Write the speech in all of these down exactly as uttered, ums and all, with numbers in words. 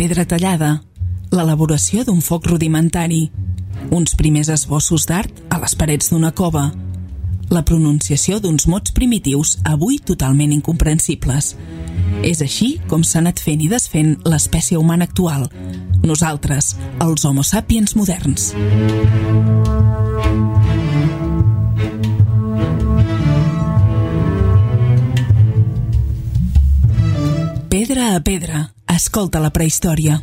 pedra tallada, l'elaboració d'un foc rudimentari, uns primers esbossos d'art a les parets d'una cova, la pronunciació d'uns mots primitius avui totalment incomprensibles. És així com s'ha anat fent i desfent l'espècie humana actual, nosaltres, els Homo sapiens moderns. Pedra a pedra, escolta la prehistòria.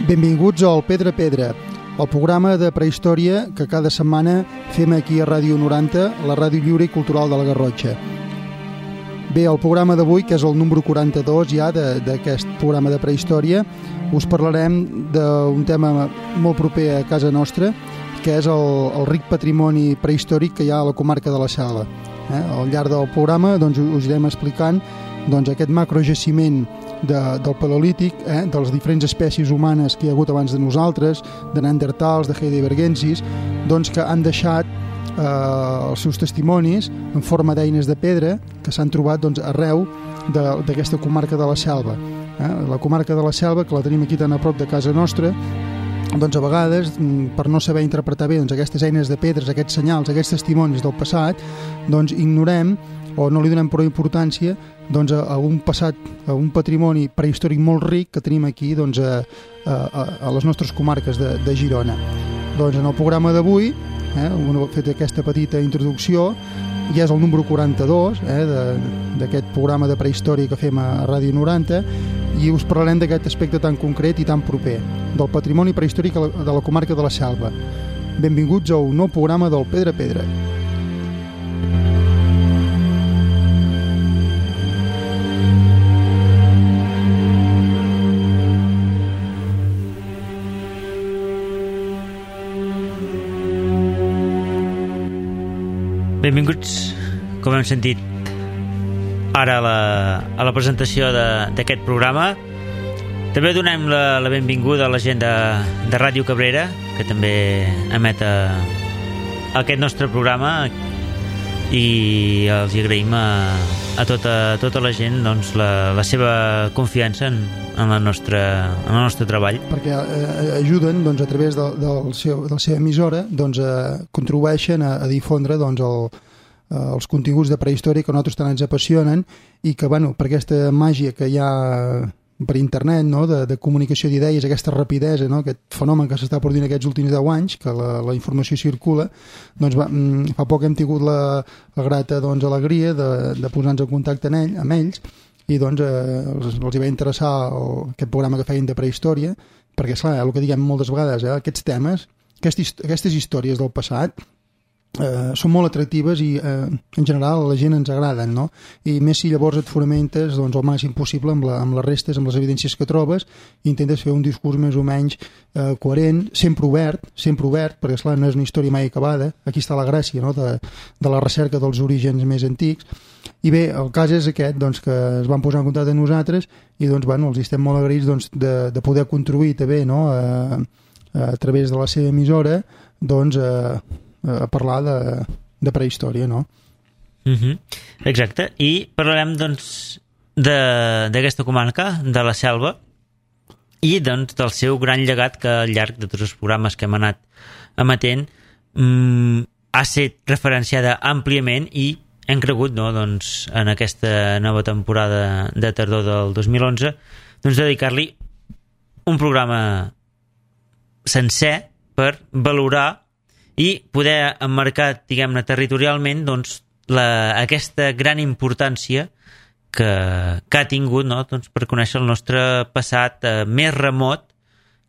Benvinguts al Pedra a Pedra, el programa de prehistòria que cada setmana fem aquí a Ràdio noranta, la ràdio lliure i cultural de la Garrotxa. Bé, el programa d'avui, que és el número quaranta-dos ja d'aquest programa de prehistòria, us parlarem d'un tema molt proper a casa nostra, que és el, el ric patrimoni prehistòric que hi ha a la comarca de la Selva. Eh? Al llarg del programa doncs, us anirem explicant doncs, aquest macrojaciment de, del Paleolític, eh, de les diferents espècies humanes que hi ha hagut abans de nosaltres, de Neandertals, de Heidelbergensis, doncs, que han deixat eh, els seus testimonis en forma d'eines de pedra que s'han trobat doncs, arreu d'aquesta comarca de la Selva. Eh? La comarca de la Selva, que la tenim aquí tan a prop de casa nostra, doncs a vegades, per no saber interpretar bé doncs, aquestes eines de pedres, aquests senyals, aquests testimonis del passat, doncs ignorem o no li donem prou importància doncs, a, a un passat, a un patrimoni prehistòric molt ric que tenim aquí doncs, a, a, a les nostres comarques de, de Girona. Doncs en el programa d'avui, eh, un ha fet aquesta petita introducció, ja és el número quaranta-dos eh, d'aquest programa de prehistòria que fem a, a Ràdio noranta, i us parlarem d'aquest aspecte tan concret i tan proper, del patrimoni prehistòric de la comarca de la Selva. Benvinguts a un nou programa del Pedra a Pedra. Benvinguts, com hem sentit ara a la, a la presentació d'aquest programa. També donem la, la benvinguda a la gent de, de Ràdio Cabrera, que també emet a, a aquest nostre programa, i els agraïm a, a, tota, a tota la gent doncs, la, la seva confiança en, en, la nostra, en el nostre treball. Perquè eh, ajuden doncs, a través de, del seu, de la seva emissora, doncs, eh, contribueixen a, a difondre doncs, el, eh, els continguts de prehistòria que a nosaltres tant ens apassionen, i que bueno, per aquesta màgia que hi ha per internet, no? de, de comunicació d'idees, aquesta rapidesa, no? Aquest fenomen que s'està produint aquests últims deu anys, que la, la informació circula, doncs va, fa poc hem tingut la, la grata doncs, alegria de, de posar-nos en contacte en ell, amb ells, i doncs eh, els, els hi va interessar el, aquest programa que feien de prehistòria, perquè esclar, el que diguem moltes vegades, eh, aquests temes, aquestes, aquestes històries del passat eh, són molt atractives i eh, en general a la gent ens agraden, no? I més si llavors et fonamentes doncs, el màxim possible amb, la, amb les restes, amb les evidències que trobes, i intentes fer un discurs més o menys eh, coherent, sempre obert, sempre obert, perquè esclar, no és una història mai acabada. Aquí està la gràcia, no? de, de la recerca dels orígens més antics. I bé, el cas és aquest, doncs, que es van posar en contacte amb nosaltres i doncs, bueno, els estem molt agraïts doncs, de, de poder contribuir també, no? a, a través de la seva emissora doncs, a, a parlar de, de prehistòria, no? Uh-huh. Exacte, i parlarem doncs d'aquesta comarca, de la Selva, i doncs del seu gran llegat que al llarg de tots els programes que hem anat emetent mm, ha estat referenciada àmpliament, i hem cregut, no, doncs, en aquesta nova temporada de tardor del dos mil onze, doncs, dedicar-li un programa sencer per valorar i poder emmarcar, diguem-ne, territorialment doncs, la, aquesta gran importància que, que ha tingut, no, doncs, per conèixer el nostre passat eh, més remot,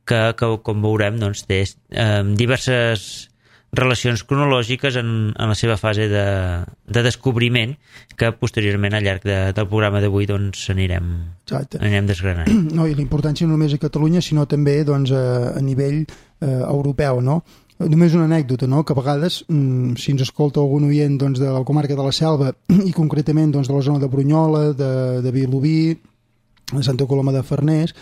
que, que com veurem doncs, té eh, diverses relacions cronològiques en, en la seva fase de, de descobriment, que posteriorment al llarg de, del programa d'avui doncs, anirem, anirem desgranant. No, i la importància no només a Catalunya, sinó també doncs, a, a nivell eh, europeu, no? només una anècdota, no? Que a vegades, si ens escolta algun oient doncs, de la comarca de la Selva i concretament doncs, de la zona de Brunyola, de, de Vilobí, de Santa Coloma de Farners,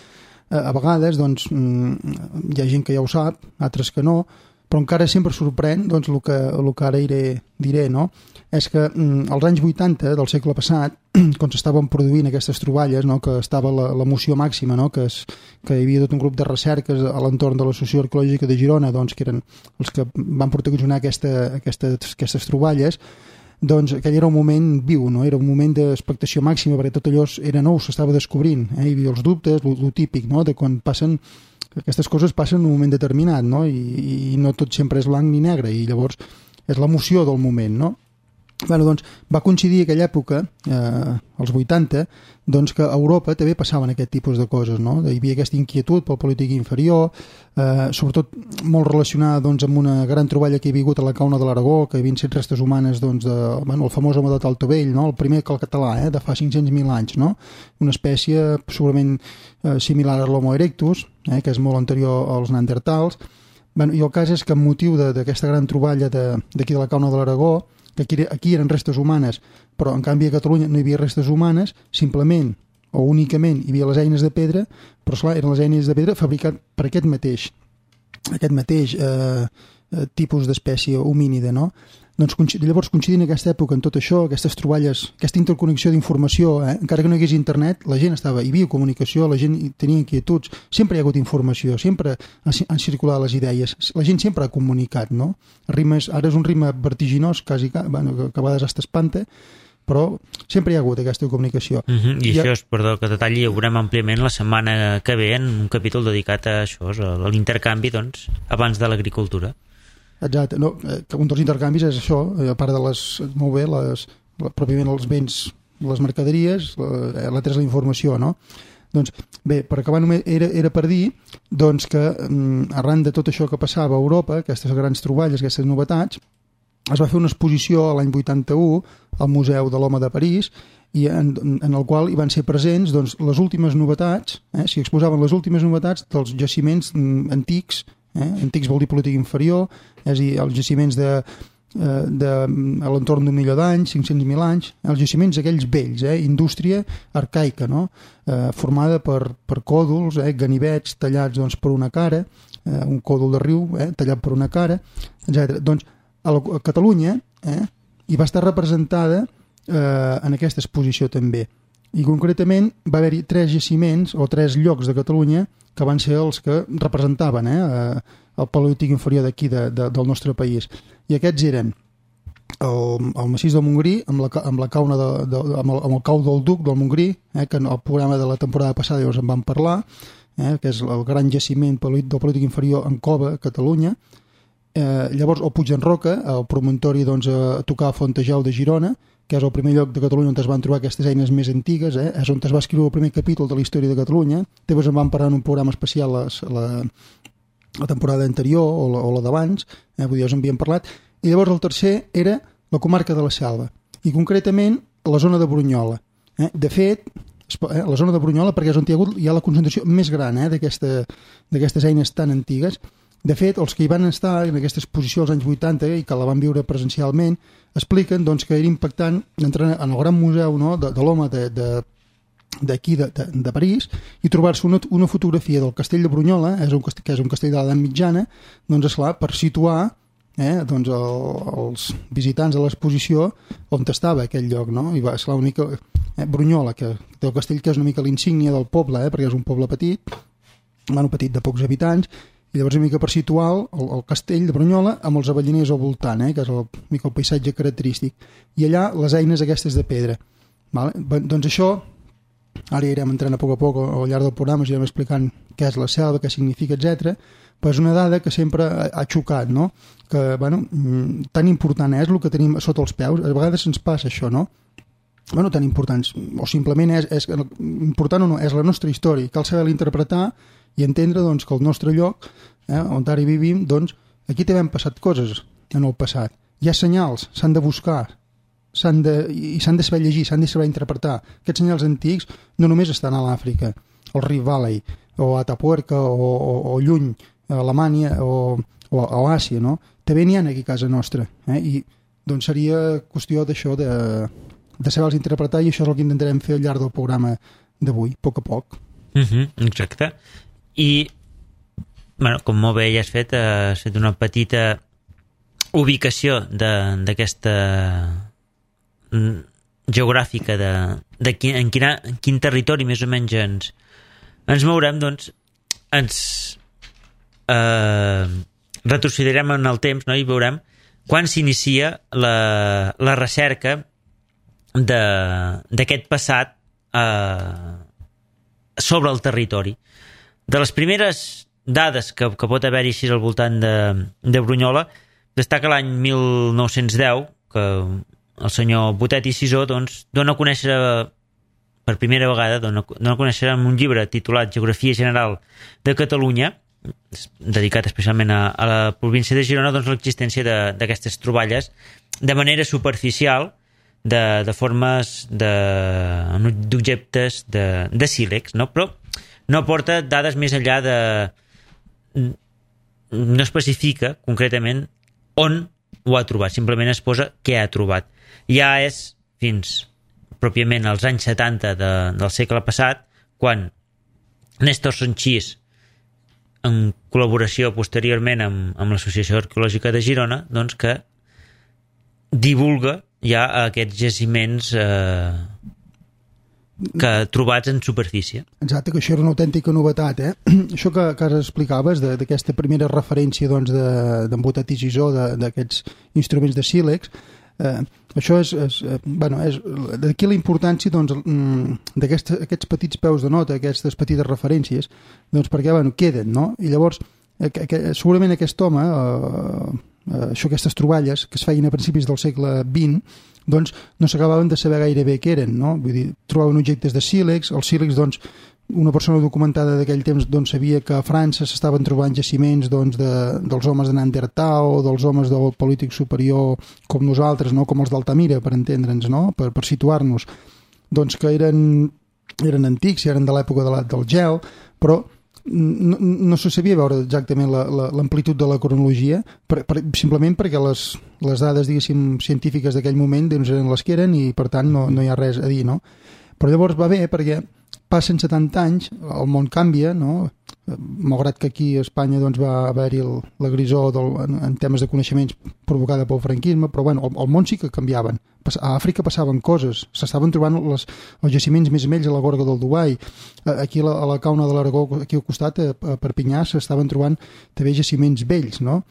a vegades doncs, hi ha gent que ja ho sap, altres que no, però encara sempre sorprèn doncs, el, que, el que ara iré, diré, no? És que mm, als anys vuitanta del segle passat, quan s'estaven produint aquestes troballes, no? Que estava l'emoció màxima, no? que, es, que hi havia tot un grup de recerques a l'entorn de la Societat Arqueològica de Girona, doncs, que eren els que van protagonitzar aquesta, aquestes, aquestes troballes, doncs aquell era un moment viu, no? Era un moment d'expectació màxima, perquè tot allò era nou, s'estava descobrint, eh? Hi havia els dubtes, el típic, no? De quan passen aquestes coses passen en un moment determinat, no? I, i no tot sempre és blanc ni negre, i llavors és l'emoció del moment, no? Bueno, doncs, va coincidir aquella època, eh, als vuitanta, doncs que a Europa també passaven aquest tipus de coses, no? Hi havia aquesta inquietud pel polític inferior, eh, sobretot molt relacionada doncs, amb una gran troballa que hi havia hagut a la Cauna de l'Aragó, que havien set restes humanes doncs, de, bueno, el famós home de Taltovell, no? El primer cal català, eh, de fa cinc-cents mil anys, no? Una espècie segurament eh, similar a l'Homo erectus, eh, que és molt anterior als neandertals. Bueno, i el cas és que amb motiu d'aquesta gran troballa d'aquí de, de la Cauna de l'Aragó, que aquí, aquí eren restes humanes, però en canvi a Catalunya no hi havia restes humanes, simplement o únicament hi havia les eines de pedra, però esclar, eren les eines de pedra fabricat per aquest mateix, aquest mateix eh, tipus d'espècie homínida, no? Doncs llavors, coincidint en aquesta època, en tot això, aquestes troballes, aquesta interconnexió d'informació, eh? Encara que no hi hagués internet, la gent estava, hi havia comunicació, la gent tenia inquietuds, sempre hi ha hagut informació, sempre han circulat les idees, la gent sempre ha comunicat, no? Rimes, ara és un ritme vertiginós, quasi, bueno, que a vegades hasta espanta, però sempre hi ha hagut aquesta comunicació. Uh -huh. I, I això ha... és, perdó, que detalli, ho veurem àmpliament la setmana que ve en un capítol dedicat a això, a l'intercanvi, doncs, abans de l'agricultura. Exacte, no, un dels intercanvis és això, a part de les, molt bé, les, pròpiament els béns, les mercaderies, l'altra és la informació, no? Doncs bé, per acabar només era, era per dir doncs, que arran de tot això que passava a Europa, aquestes grans troballes, aquestes novetats, es va fer una exposició l'any vuitanta-u al Museu de l'Home de París, i en, en el qual hi van ser presents doncs, les últimes novetats, eh, s'hi exposaven les últimes novetats dels jaciments antics. Eh? Antics vol dir polític inferior, és a dir, els jaciments de, de, a l'entorn d'un milió d'anys, cinc-cents mil anys, els jaciments aquells vells, eh? Indústria arcaica, no? Eh, formada per, per còdols, eh? Ganivets tallats doncs, per una cara, eh? un còdol de riu eh? tallat per una cara, etcètera. Doncs a, la, a Catalunya eh? hi va estar representada eh, en aquesta exposició també. I concretament va haver-hi tres jaciments o tres llocs de Catalunya que van ser els que representaven eh, el paleolític inferior d'aquí de, de, del nostre país. I aquests eren el, el massís del Montgrí amb la, amb la cauna de, de, amb, el, amb el cau del Duc del Montgrí, eh, que en el programa de la temporada passada llavors en vam parlar, eh, que és el gran jaciment del paleolític inferior en cova a Catalunya. Eh, llavors el Puig d'en Roca, el promontori doncs, a tocar a Fontejau de Girona, que és el primer lloc de Catalunya on es van trobar aquestes eines més antigues, eh? És on es va escriure el primer capítol de la història de Catalunya. Llavors en vam parlar en un programa especial les, la, la temporada anterior o la, o la d'abans, eh? Vull dir, us en havíem parlat. I llavors el tercer era la comarca de la Selva, i concretament la zona de Brunyola. Eh? De fet, eh? la zona de Brunyola, perquè és on hi ha, hagut, hi ha la concentració més gran eh? d'aquestes eines tan antigues. De fet, els que hi van estar en aquesta exposició als anys vuitanta i que la van viure presencialment expliquen doncs, que era impactant entrar en el gran museu no, de, de l'home d'aquí, de, de, de, de París, i trobar-se una, una fotografia del castell de Brunyola, és un castell, que és un castell de l'edat mitjana, doncs, esclar, per situar eh, doncs, el, els visitants de l'exposició on estava aquell lloc. No? I va, esclar, una mica, eh, Brunyola, que té el castell que és una mica l'insígnia del poble, eh, perquè és un poble petit, bueno, petit de pocs habitants, i llavors una mica per situar el, el castell de Brunyola amb els avellaners al voltant, eh, que és el, mica el paisatge característic, i allà les eines aquestes de pedra. Vale? Doncs això, ara irem entrant a poc a poc al llarg del programa, us irem explicant què és la selva, què significa, etcètera. Però és una dada que sempre ha, ha xocat, no? Que, bueno, tan important és el que tenim sota els peus, a vegades ens passa això, no? Bueno, tan importants, o simplement és, és important o no, és la nostra història, cal saber-la interpretar i entendre doncs, que el nostre lloc, eh, on ara hi vivim, doncs, aquí també han passat coses en el passat. Hi ha senyals, s'han de buscar, s'han de, i s'han de saber llegir, s'han de saber interpretar. Aquests senyals antics no només estan a l'Àfrica, al Rift Valley, o a Atapuerca, o, o, o lluny, a Alemanya, o o, o Àsia, no? També n'hi ha aquí a casa nostra, eh? I doncs seria qüestió d'això, de, de saber-los interpretar, i això és el que intentarem fer al llarg del programa d'avui, a poc a poc. Uh-huh, exacte. I, bueno, com molt bé ja has fet, has fet una petita ubicació d'aquesta geogràfica de, de quin, en, quina, en quin territori més o menys ens, ens mourem, doncs ens eh, retrocedirem en el temps, no? I veurem quan s'inicia la, la recerca d'aquest passat eh, sobre el territori. De les primeres dades que, que pot haver-hi així al voltant de, de Brunyola, destaca l'any mil nou-cents deu, que el senyor Botet i Sisó doncs, dona a conèixer per primera vegada, dona, dona a conèixer en un llibre titulat Geografia General de Catalunya, dedicat especialment a, a la província de Girona, doncs l'existència d'aquestes troballes de manera superficial, de, de formes d'objectes de, de, de sílex, no? Però no aporta dades més enllà de... no especifica concretament on ho ha trobat, simplement es posa què ha trobat. Ja és fins pròpiament als anys setanta de, del segle passat, quan Néstor Sanchís, en col·laboració posteriorment amb, amb l'Associació Arqueològica de Girona, doncs que divulga ja aquests jaciments eh, que trobats en superfície. Exacte, que això era una autèntica novetat, eh? Això que, que ara explicaves, d'aquesta primera referència doncs, d'en de, Botet i Sisó, d'aquests instruments de sílex, eh, això és, és, bueno, és d'aquí la importància doncs, d'aquests aquests petits peus de nota, aquestes petites referències, doncs perquè bueno, queden, no? I llavors, eh, que, segurament aquest home, eh, eh, això, aquestes troballes que es feien a principis del segle vint, doncs no s'acabaven de saber gaire bé què eren, no? Vull dir, trobaven objectes de sílex, els sílex, doncs, una persona documentada d'aquell temps doncs, sabia que a França s'estaven trobant jaciments doncs, de, dels homes de Neandertal, dels homes del polític superior com nosaltres, no? Com els d'Altamira, per entendre'ns, no? Per, per situar-nos, doncs que eren, eren antics, eren de l'època de la, del gel, però no, no se sabia veure exactament l'amplitud de la cronologia, per, per, simplement perquè les, les dades, diguéssim, científiques d'aquell moment doncs, eren les que eren i, per tant, no, no hi ha res a dir, no? Però llavors va bé perquè passen setanta anys, el món canvia, no? Malgrat que aquí a Espanya doncs, va haver-hi la grisó del, en, en temes de coneixements provocada pel franquisme, però bueno, el, el món sí que canviaven. A Àfrica passaven coses, s'estaven trobant les, els jaciments més vells a la Gorga del Dubai, aquí a la, a la Cauna de l'Aragó, aquí al costat, a, a Perpinyà, s'estaven trobant també jaciments vells, no?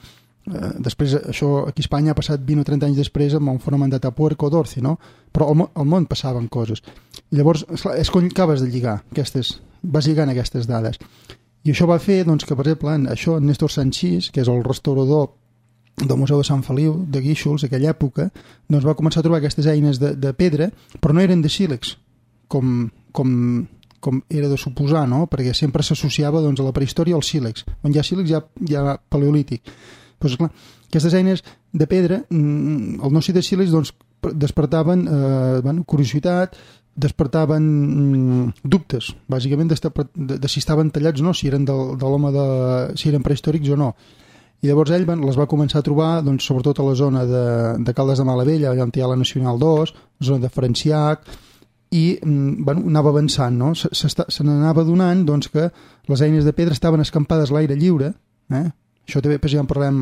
Eh, després, això aquí a Espanya ha passat vint o trenta anys després amb un fenomen de Tapuerco d'Orci, no? Però al, al món passaven coses. I llavors, esclar, és quan acabes de lligar aquestes, vas lligant aquestes dades. I això va fer doncs, que, per exemple, en això, en Néstor Sanchís, que és el restaurador del Museu de Sant Feliu, de Guíxols, d'aquella època, doncs va començar a trobar aquestes eines de, de pedra, però no eren de sílex, com, com, com era de suposar, no? Perquè sempre s'associava doncs, a la prehistòria al sílex. On hi ha sílex hi ha, hi ha paleolític. Pues, clar, aquestes eines de pedra, el no ser de sílex, doncs, despertaven eh, bueno, curiositat, despertaven mm, dubtes, bàsicament de, de, de si estaven tallats o no, si eren de, de l'home de... si eren prehistòrics o no. I llavors ell les va començar a trobar, doncs, sobretot a la zona de, de Caldes de Malavella, allà on hi ha la Nacional dos, zona de Franciac, i mm, bueno, anava avançant, no? Se, se, se n'anava donant doncs, que les eines de pedra estaven escampades a l'aire lliure, eh? Això també ja en parlem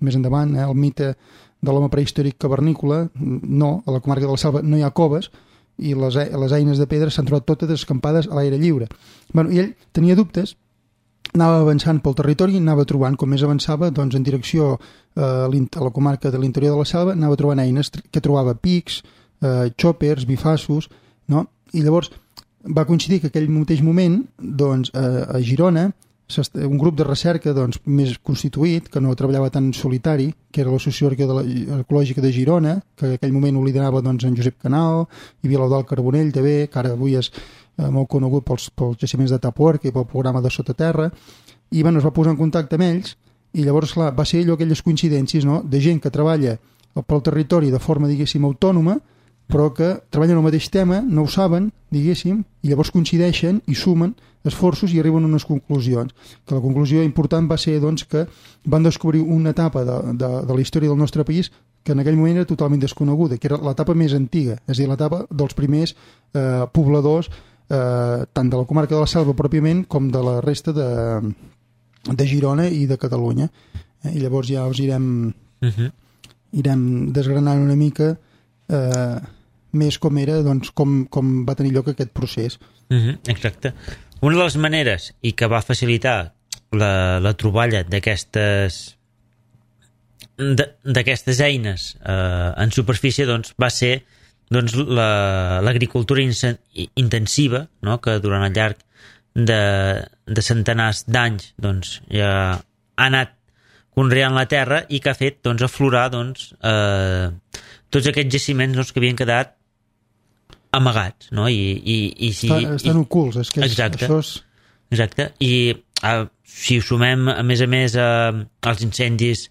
més endavant, eh? El mite de l'home prehistòric cavernícola, no, a la comarca de la Selva no hi ha coves, i les, les eines de pedra s'han trobat totes escampades a l'aire lliure. Bueno, i ell tenia dubtes, anava avançant pel territori i anava trobant, com més avançava, doncs en direcció eh, a la comarca de l'interior de la Selva, anava trobant eines que trobava pics, eh, xòpers, bifassos, no? I llavors va coincidir que aquell mateix moment, doncs, eh, a Girona, un grup de recerca doncs, més constituït, que no treballava tan en solitari, que era l'Associació Arqueològica de Girona, que en aquell moment ho liderava doncs, en Josep Canal, i Vilaudal Carbonell també, que ara avui és eh, molt conegut pels, pels jaciments de Tapuerca i pel programa de Sotaterra, i bueno, es va posar en contacte amb ells, i llavors clar, va ser allò aquelles coincidències, no?, de gent que treballa pel territori de forma, diguéssim, autònoma, però que treballen el mateix tema, no ho saben, diguéssim, i llavors coincideixen i sumen esforços i arriben a unes conclusions. Que la conclusió important va ser doncs, que van descobrir una etapa de, de, de la història del nostre país que en aquell moment era totalment desconeguda, que era l'etapa més antiga, és a dir, l'etapa dels primers eh, pobladors, eh, tant de la comarca de la Selva pròpiament com de la resta de, de Girona i de Catalunya. Eh, I llavors ja us irem, uh-huh. irem desgranant una mica eh, més com era, doncs, com, com va tenir lloc aquest procés. Uh-huh. Exacte. Una de les maneres i que va facilitar la, la troballa d'aquestes d'aquestes eines eh, en superfície doncs, va ser doncs, l'agricultura la, intensiva, no? Que durant el llarg de, de centenars d'anys doncs, ja ha anat conreant la terra i que ha fet doncs, aflorar doncs, eh, tots aquests jaciments doncs, que havien quedat amagats, no? I, i, i si, Està, estan i, ocults, és que és, exacte, això és... Exacte, i eh, si ho sumem a més a més eh, als incendis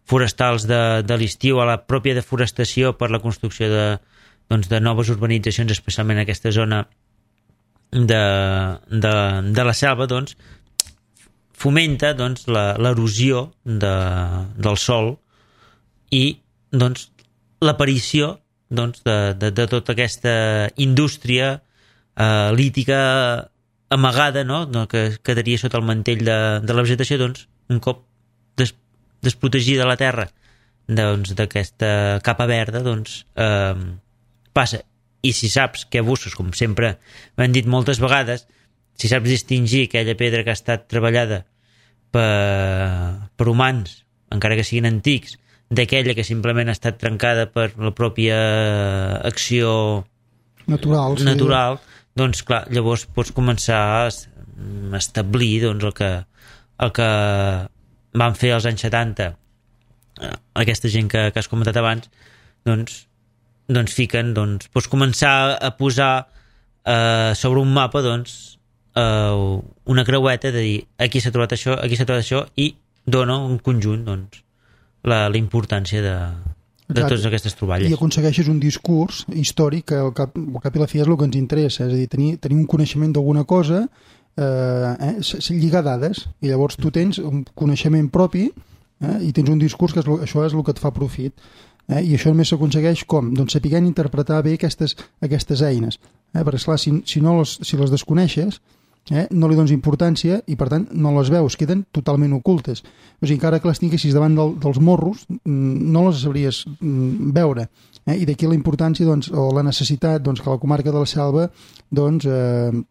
forestals de, de l'estiu, a la pròpia deforestació per la construcció de, doncs, de noves urbanitzacions, especialment en aquesta zona de, de, de la selva, doncs, fomenta doncs, l'erosió de, del sòl i doncs, l'aparició doncs, de, de, de tota aquesta indústria eh, lítica amagada, no? que quedaria sota el mantell de, de la vegetació, doncs, un cop des, desprotegida la terra doncs, d'aquesta capa verda, doncs, eh, passa. I si saps que abusos, com sempre m'han dit moltes vegades, si saps distingir aquella pedra que ha estat treballada per, per humans, encara que siguin antics, d'aquella que simplement ha estat trencada per la pròpia acció natural, sí. natural doncs clar, llavors pots començar a establir doncs, el, que, el que van fer als anys setanta aquesta gent que, que has comentat abans, doncs, doncs fiquen, doncs, pots començar a posar eh, sobre un mapa doncs, eh, una creueta de dir aquí s'ha trobat això, aquí s'ha trobat això i dona un conjunt doncs, la, la importància de, de totes aquestes troballes. I aconsegueixes un discurs històric que al cap, al cap i la fi és el que ens interessa, és a dir, tenir, tenir un coneixement d'alguna cosa, eh, eh, lligar dades, i llavors tu tens un coneixement propi eh, i tens un discurs que és, això és el que et fa profit. Eh, I això només s'aconsegueix com? Doncs sapiguent interpretar bé aquestes, aquestes eines. Eh, perquè, esclar, si, si, no les, si les desconeixes, eh, no li dones importància i, per tant, no les veus, queden totalment ocultes. O sigui, encara que les tinguessis davant del, dels morros, no les sabries veure. Eh? I d'aquí la importància, doncs, o la necessitat doncs, que la comarca de la Selva doncs, eh,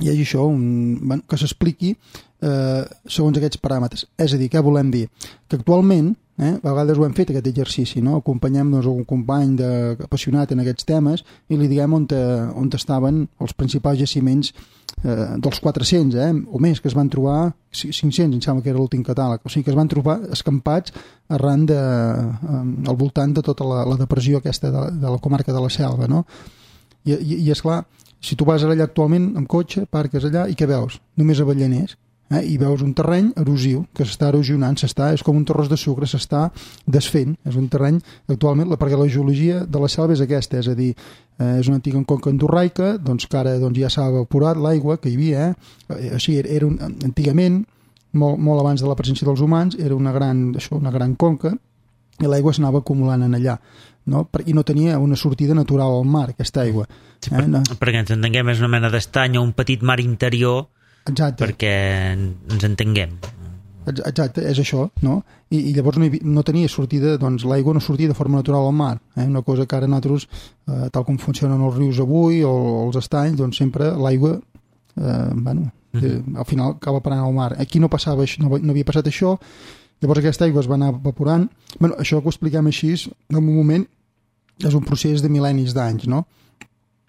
hi hagi això, un, bueno, que s'expliqui eh, segons aquests paràmetres. És a dir, què volem dir? Que actualment, eh, a vegades ho hem fet aquest exercici, no? Acompanyem doncs, un company de, apassionat en aquests temes i li diguem on, te, on estaven els principals jaciments eh, dels quatre-cents eh, o més que es van trobar, cinc-cents em sembla que era l'últim catàleg, o sigui que es van trobar escampats arran de, eh, al voltant de tota la, la depressió aquesta de, de la comarca de la Selva, no? I, i, i esclar, si tu vas allà actualment amb cotxe, parques allà i què veus? Només avellaners. Eh? I veus un terreny erosiu que s'està erosionant, s'està, és com un terròs de sucre, s'està desfent. És un terreny, actualment, perquè la geologia de la selva és aquesta, és a dir, eh, és una antiga conca endorraica, doncs que ara doncs, ja s'ha evaporat l'aigua que hi havia, eh? O sigui, era un, antigament, molt, molt abans de la presència dels humans, era una gran, això, una gran conca, i l'aigua s'anava acumulant en allà. No? I no tenia una sortida natural al mar, aquesta aigua. Sí, per, eh? no. Perquè ens entenguem, és una mena d'estany o un petit mar interior. Exacte. Perquè ens entenguem. Exacte, és això, no? I, i llavors no, hi, no tenia sortida, doncs l'aigua no sortia de forma natural al mar, eh? Una cosa que ara nosaltres, eh, tal com funcionen els rius avui o els estanys, doncs sempre l'aigua, eh, bueno, mm-hmm. eh, al final acaba parant al mar. Aquí no passava això, no, no havia passat això. Llavors aquesta aigua es va anar evaporant. Bueno, això que ho expliquem així, en un moment, és un procés de mil·lennis d'anys, no?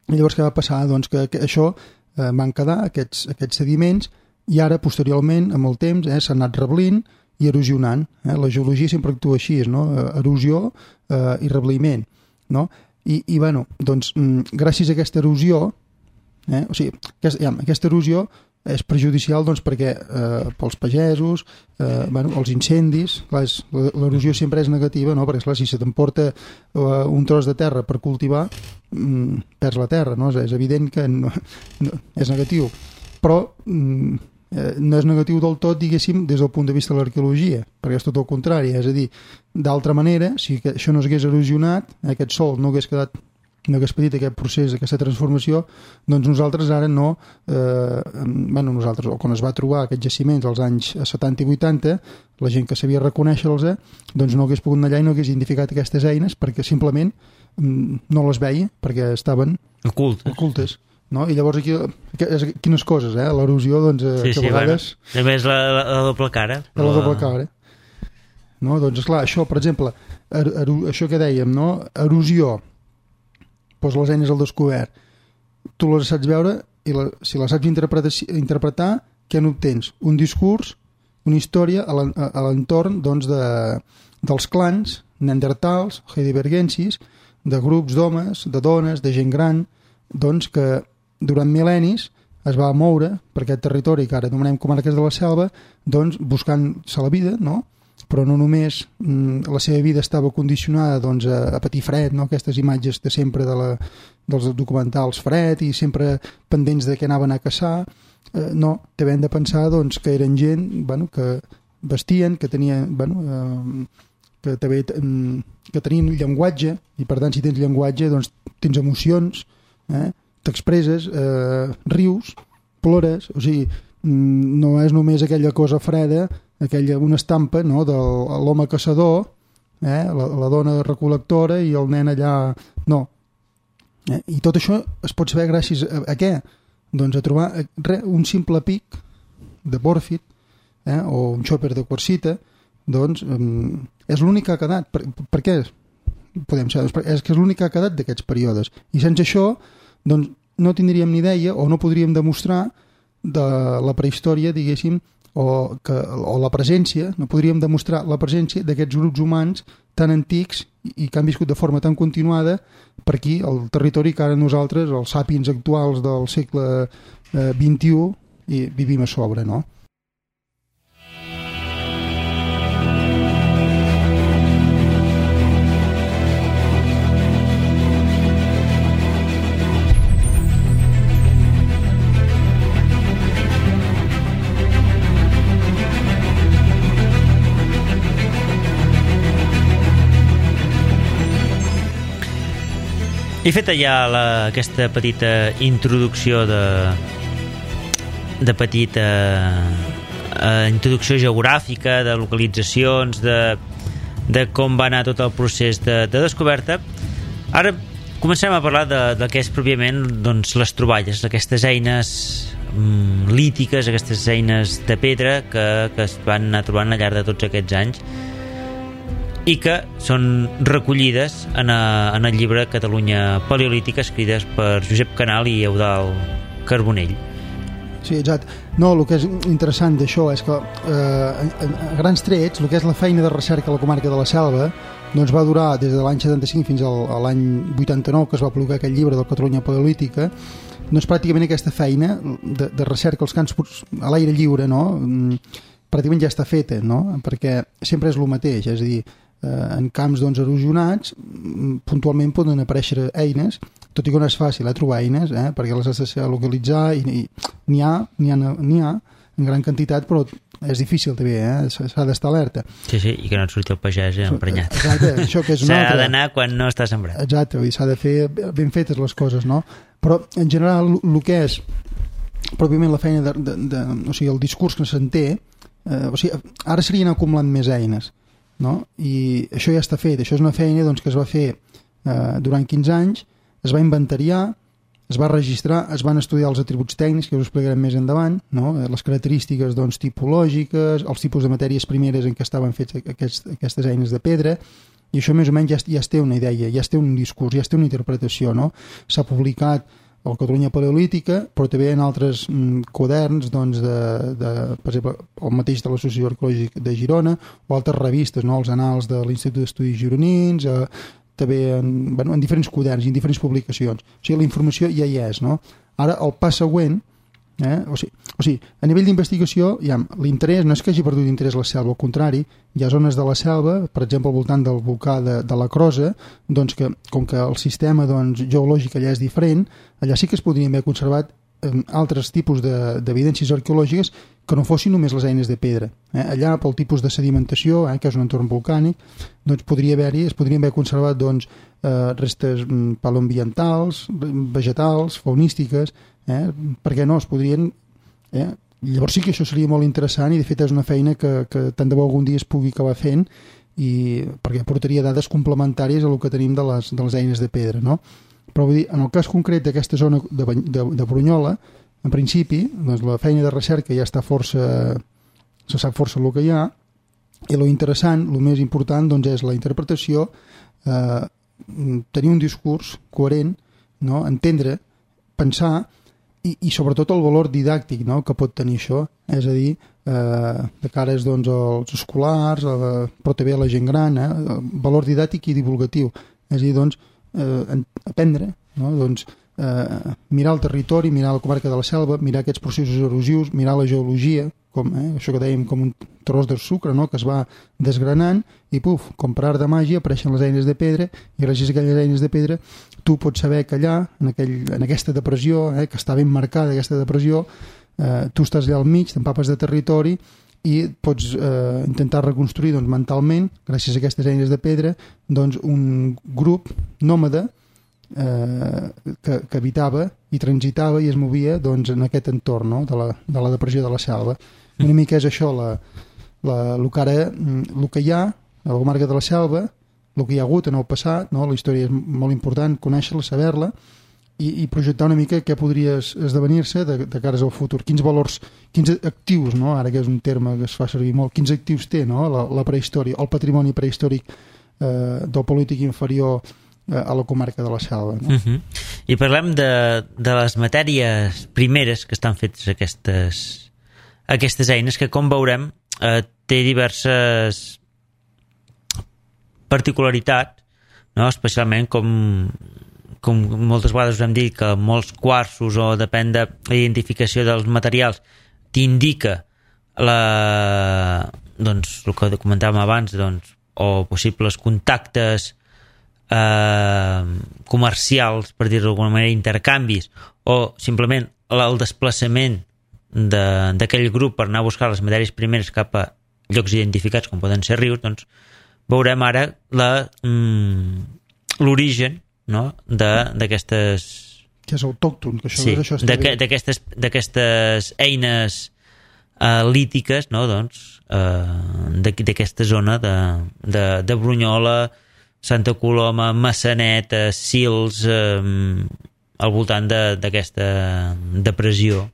I llavors què va passar? Doncs que, que això eh, van quedar, aquests, aquests sediments, i ara, posteriorment, amb el temps, eh, s'han anat reblint i erosionant. Eh? La geologia sempre actua així, no? Erosió eh, i rebliment, no? I, i bueno, doncs, gràcies a aquesta erosió, eh, o sigui, aquesta, ja, aquesta erosió és perjudicial doncs, perquè eh, pels pagesos, eh, bueno, els incendis, clar, és, l'erosió sempre és negativa, no? Perquè clar, si se t'emporta eh, un tros de terra per cultivar, mm, perds la terra, no? És, és evident que no, no, és negatiu, però mm, eh, no és negatiu del tot, diguéssim, des del punt de vista de l'arqueologia, perquè és tot el contrari, és a dir, d'altra manera, si això no s'hagués erosionat, aquest sòl no hagués quedat no hagués patit aquest procés, aquesta transformació, doncs nosaltres ara no, eh, bueno, nosaltres, o quan es va trobar aquests jaciments als anys setanta i vuitanta, la gent que sabia reconèixer-los, eh, doncs no hagués pogut anar allà i no hagués identificat aquestes eines perquè simplement mm, no les veia, perquè estaven ocultes. ocultes. No? I llavors aquí, quines coses, eh? L'erosió, doncs, eh, sí, que sí, a vegades... Bueno, també és la, la, la doble cara. La doble cara. No? Doncs, esclar, això, per exemple, er, er, això que dèiem, no? Erosió, doncs les eines al descobert, tu les saps veure i la, si les saps interpretar, interpretar què n'obtens? Un discurs, una història a l'entorn doncs, de, dels clans neandertals, heidelbergensis, de grups d'homes, de dones, de gent gran, doncs que durant mil·lennis es va moure per aquest territori que ara anomenem comarques de la selva, doncs buscant-se la vida, no? Però no només mm, la seva vida estava condicionada doncs, a, a patir fred, no? Aquestes imatges de sempre de la, dels documentals fred i sempre pendents de què anaven a caçar, eh, no, també hem de pensar doncs, que eren gent bueno, que vestien, que tenien bueno, eh, que també que tenien llenguatge i per tant si tens llenguatge doncs tens emocions, eh? T'expresses, eh, rius, plores, o sigui, no és només aquella cosa freda, aquella, una estampa no, de l'home caçador, eh, la, la dona recol·lectora i el nen allà... No. Eh, I tot això es pot saber gràcies a, a què? Doncs a trobar re, un simple pic de pòrfid eh, o un xòper de quarsita, doncs um, és l'únic que ha quedat. Per, per què? Podem saber, és que és l'únic que ha quedat d'aquests períodes. I sense això doncs, no tindríem ni idea o no podríem demostrar de la prehistòria, diguéssim, o, que, o la presència, no podríem demostrar la presència d'aquests grups humans tan antics i que han viscut de forma tan continuada per aquí, al territori que ara nosaltres, els sàpiens actuals del segle eh, vint-i-u, i vivim a sobre, no? I feta ja la, aquesta petita introducció de, de petita eh, introducció geogràfica, de localitzacions, de, de com va anar tot el procés de, de descoberta, ara comencem a parlar de, de què és pròpiament doncs, les troballes, aquestes eines mm, lítiques, aquestes eines de pedra que, que es van anar trobant al llarg de tots aquests anys i que són recollides en, a, en el llibre Catalunya Paleolítica, escrites per Josep Canal i Eudald Carbonell. Sí, exacte. No, el que és interessant d'això és que eh, a, a grans trets el que és la feina de recerca a la comarca de la Selva doncs va durar des de l'any setanta-cinc fins al, a l'any vuitanta-nou, que es va publicar aquest llibre del Catalunya Paleolítica. Doncs pràcticament aquesta feina de, de recerca als camps a l'aire lliure, no? Pràcticament ja està feta, no? Perquè sempre és el mateix, és a dir, en camps doncs, erosionats puntualment poden aparèixer eines, tot i que no és fàcil eh, trobar eines eh, perquè les has de localitzar i n'hi ha, n'hi ha, n'hi ha en gran quantitat, però és difícil també, eh? S'ha d'estar alerta. Sí, sí, i que no et surti el pagès eh, emprenyat. Exacte, això que és una altra. S'ha d'anar quan no està sembrat. Exacte, s'ha de fer ben fetes les coses, no? Però en general el que és pròpiament la feina de, de, de, o sigui, el discurs que se'n té, eh, o sigui, ara serien acumulant més eines, no? I això ja està fet, això és una feina doncs, que es va fer eh, durant quinze anys, es va inventariar, es va registrar, es van estudiar els atributs tècnics, que us explicarem més endavant, no? Les característiques doncs, tipològiques, els tipus de matèries primeres en què estaven fets aquests, aquestes eines de pedra, i això més o menys ja, ja es té una idea, ja es té un discurs, ja es té una interpretació, no? S'ha publicat el Catalunya Paleolítica, però també en altres mm, quaderns, doncs, de, de, per exemple, el mateix de l'Associació Arqueològica de Girona, o altres revistes, no? Els Annals de l'Institut d'Estudis Gironins, eh, també en, bueno, en diferents quaderns i en diferents publicacions. O sigui, la informació ja hi és, no? Ara, el pas següent Eh? O, sigui, o sigui, a nivell d'investigació, ja, l'interès no és que hagi perdut interès la selva, al contrari, hi ha zones de la selva, per exemple al voltant del volcà de, de la Crosa, doncs que, com que el sistema doncs, geològic allà és diferent, allà sí que es podrien haver conservat eh, altres tipus d'evidències de, arqueològiques que no fossin només les eines de pedra. Eh? Allà, pel tipus de sedimentació, eh, que és un entorn volcànic, doncs podria haver-hi, es podrien haver conservat doncs, eh, restes paleoambientals, vegetals, faunístiques, eh? perquè no, es podrien... Eh? Llavors sí que això seria molt interessant i de fet és una feina que, que tant de bo algun dia es pugui acabar fent i perquè portaria dades complementàries a el que tenim de les, de les eines de pedra, no? Però vull dir, en el cas concret d'aquesta zona de, de, de Brunyola, en principi, doncs la feina de recerca ja està força... se sap força el que hi ha i lo interessant, el més important doncs és la interpretació, eh, tenir un discurs coherent, no? Entendre, pensar i, i sobretot el valor didàctic, no?, que pot tenir això, és a dir, eh, de cares doncs, als escolars, eh, però també a la gent gran, eh, valor didàctic i divulgatiu, és a dir, doncs, eh, aprendre, no?, doncs, eh, mirar el territori, mirar la comarca de la Selva, mirar aquests processos erosius, mirar la geologia, com, eh, això que dèiem com un tros de sucre, no?, que es va desgranant i puf, com per art de màgia apareixen les eines de pedra i gràcies a aquelles eines de pedra tu pots saber que allà, en, aquell, en aquesta depressió, eh, que està ben marcada aquesta depressió, eh, tu estàs allà al mig, t'empapes de territori i pots eh, intentar reconstruir doncs, mentalment, gràcies a aquestes eines de pedra, doncs, un grup nòmada eh, que, que habitava i transitava i es movia doncs, en aquest entorn, no?, de, la, de la depressió de la selva. Una mica és això la, la, el, que ara, el que hi ha a la comarca de la Selva, el que hi ha hagut en el passat, no? La història és molt important, conèixer-la, saber-la i, i projectar una mica què podria esdevenir-se de, de cares al futur, quins valors, quins actius, no? Ara que és un terme que es fa servir molt, quins actius té, no?, la, la prehistòria, el patrimoni prehistòric eh, del polític inferior eh, a la comarca de la Selva, no? Uh-huh. I parlem de, de les matèries primeres que estan fetes aquestes aquestes eines que, com veurem, eh, té diverses particularitats, no? Especialment com, com moltes vegades us hem dit que molts quarsos o depèn de l'identificació dels materials t'indica la, doncs, el que comentàvem abans, doncs, o possibles contactes eh, comercials, per dir-ho d'alguna manera, intercanvis, o simplement el desplaçament d'aquell grup per anar a buscar les matèries primeres cap a llocs identificats com poden ser rius, doncs veurem ara l'origen, no?, d'aquestes... Que és autòcton, que això, sí, això està bé. D'aquestes eines uh, lítiques, no?, doncs, uh, d'aquesta zona de, de, de Brunyola, Santa Coloma, Massanet, Sils, uh, al voltant d'aquesta depressió.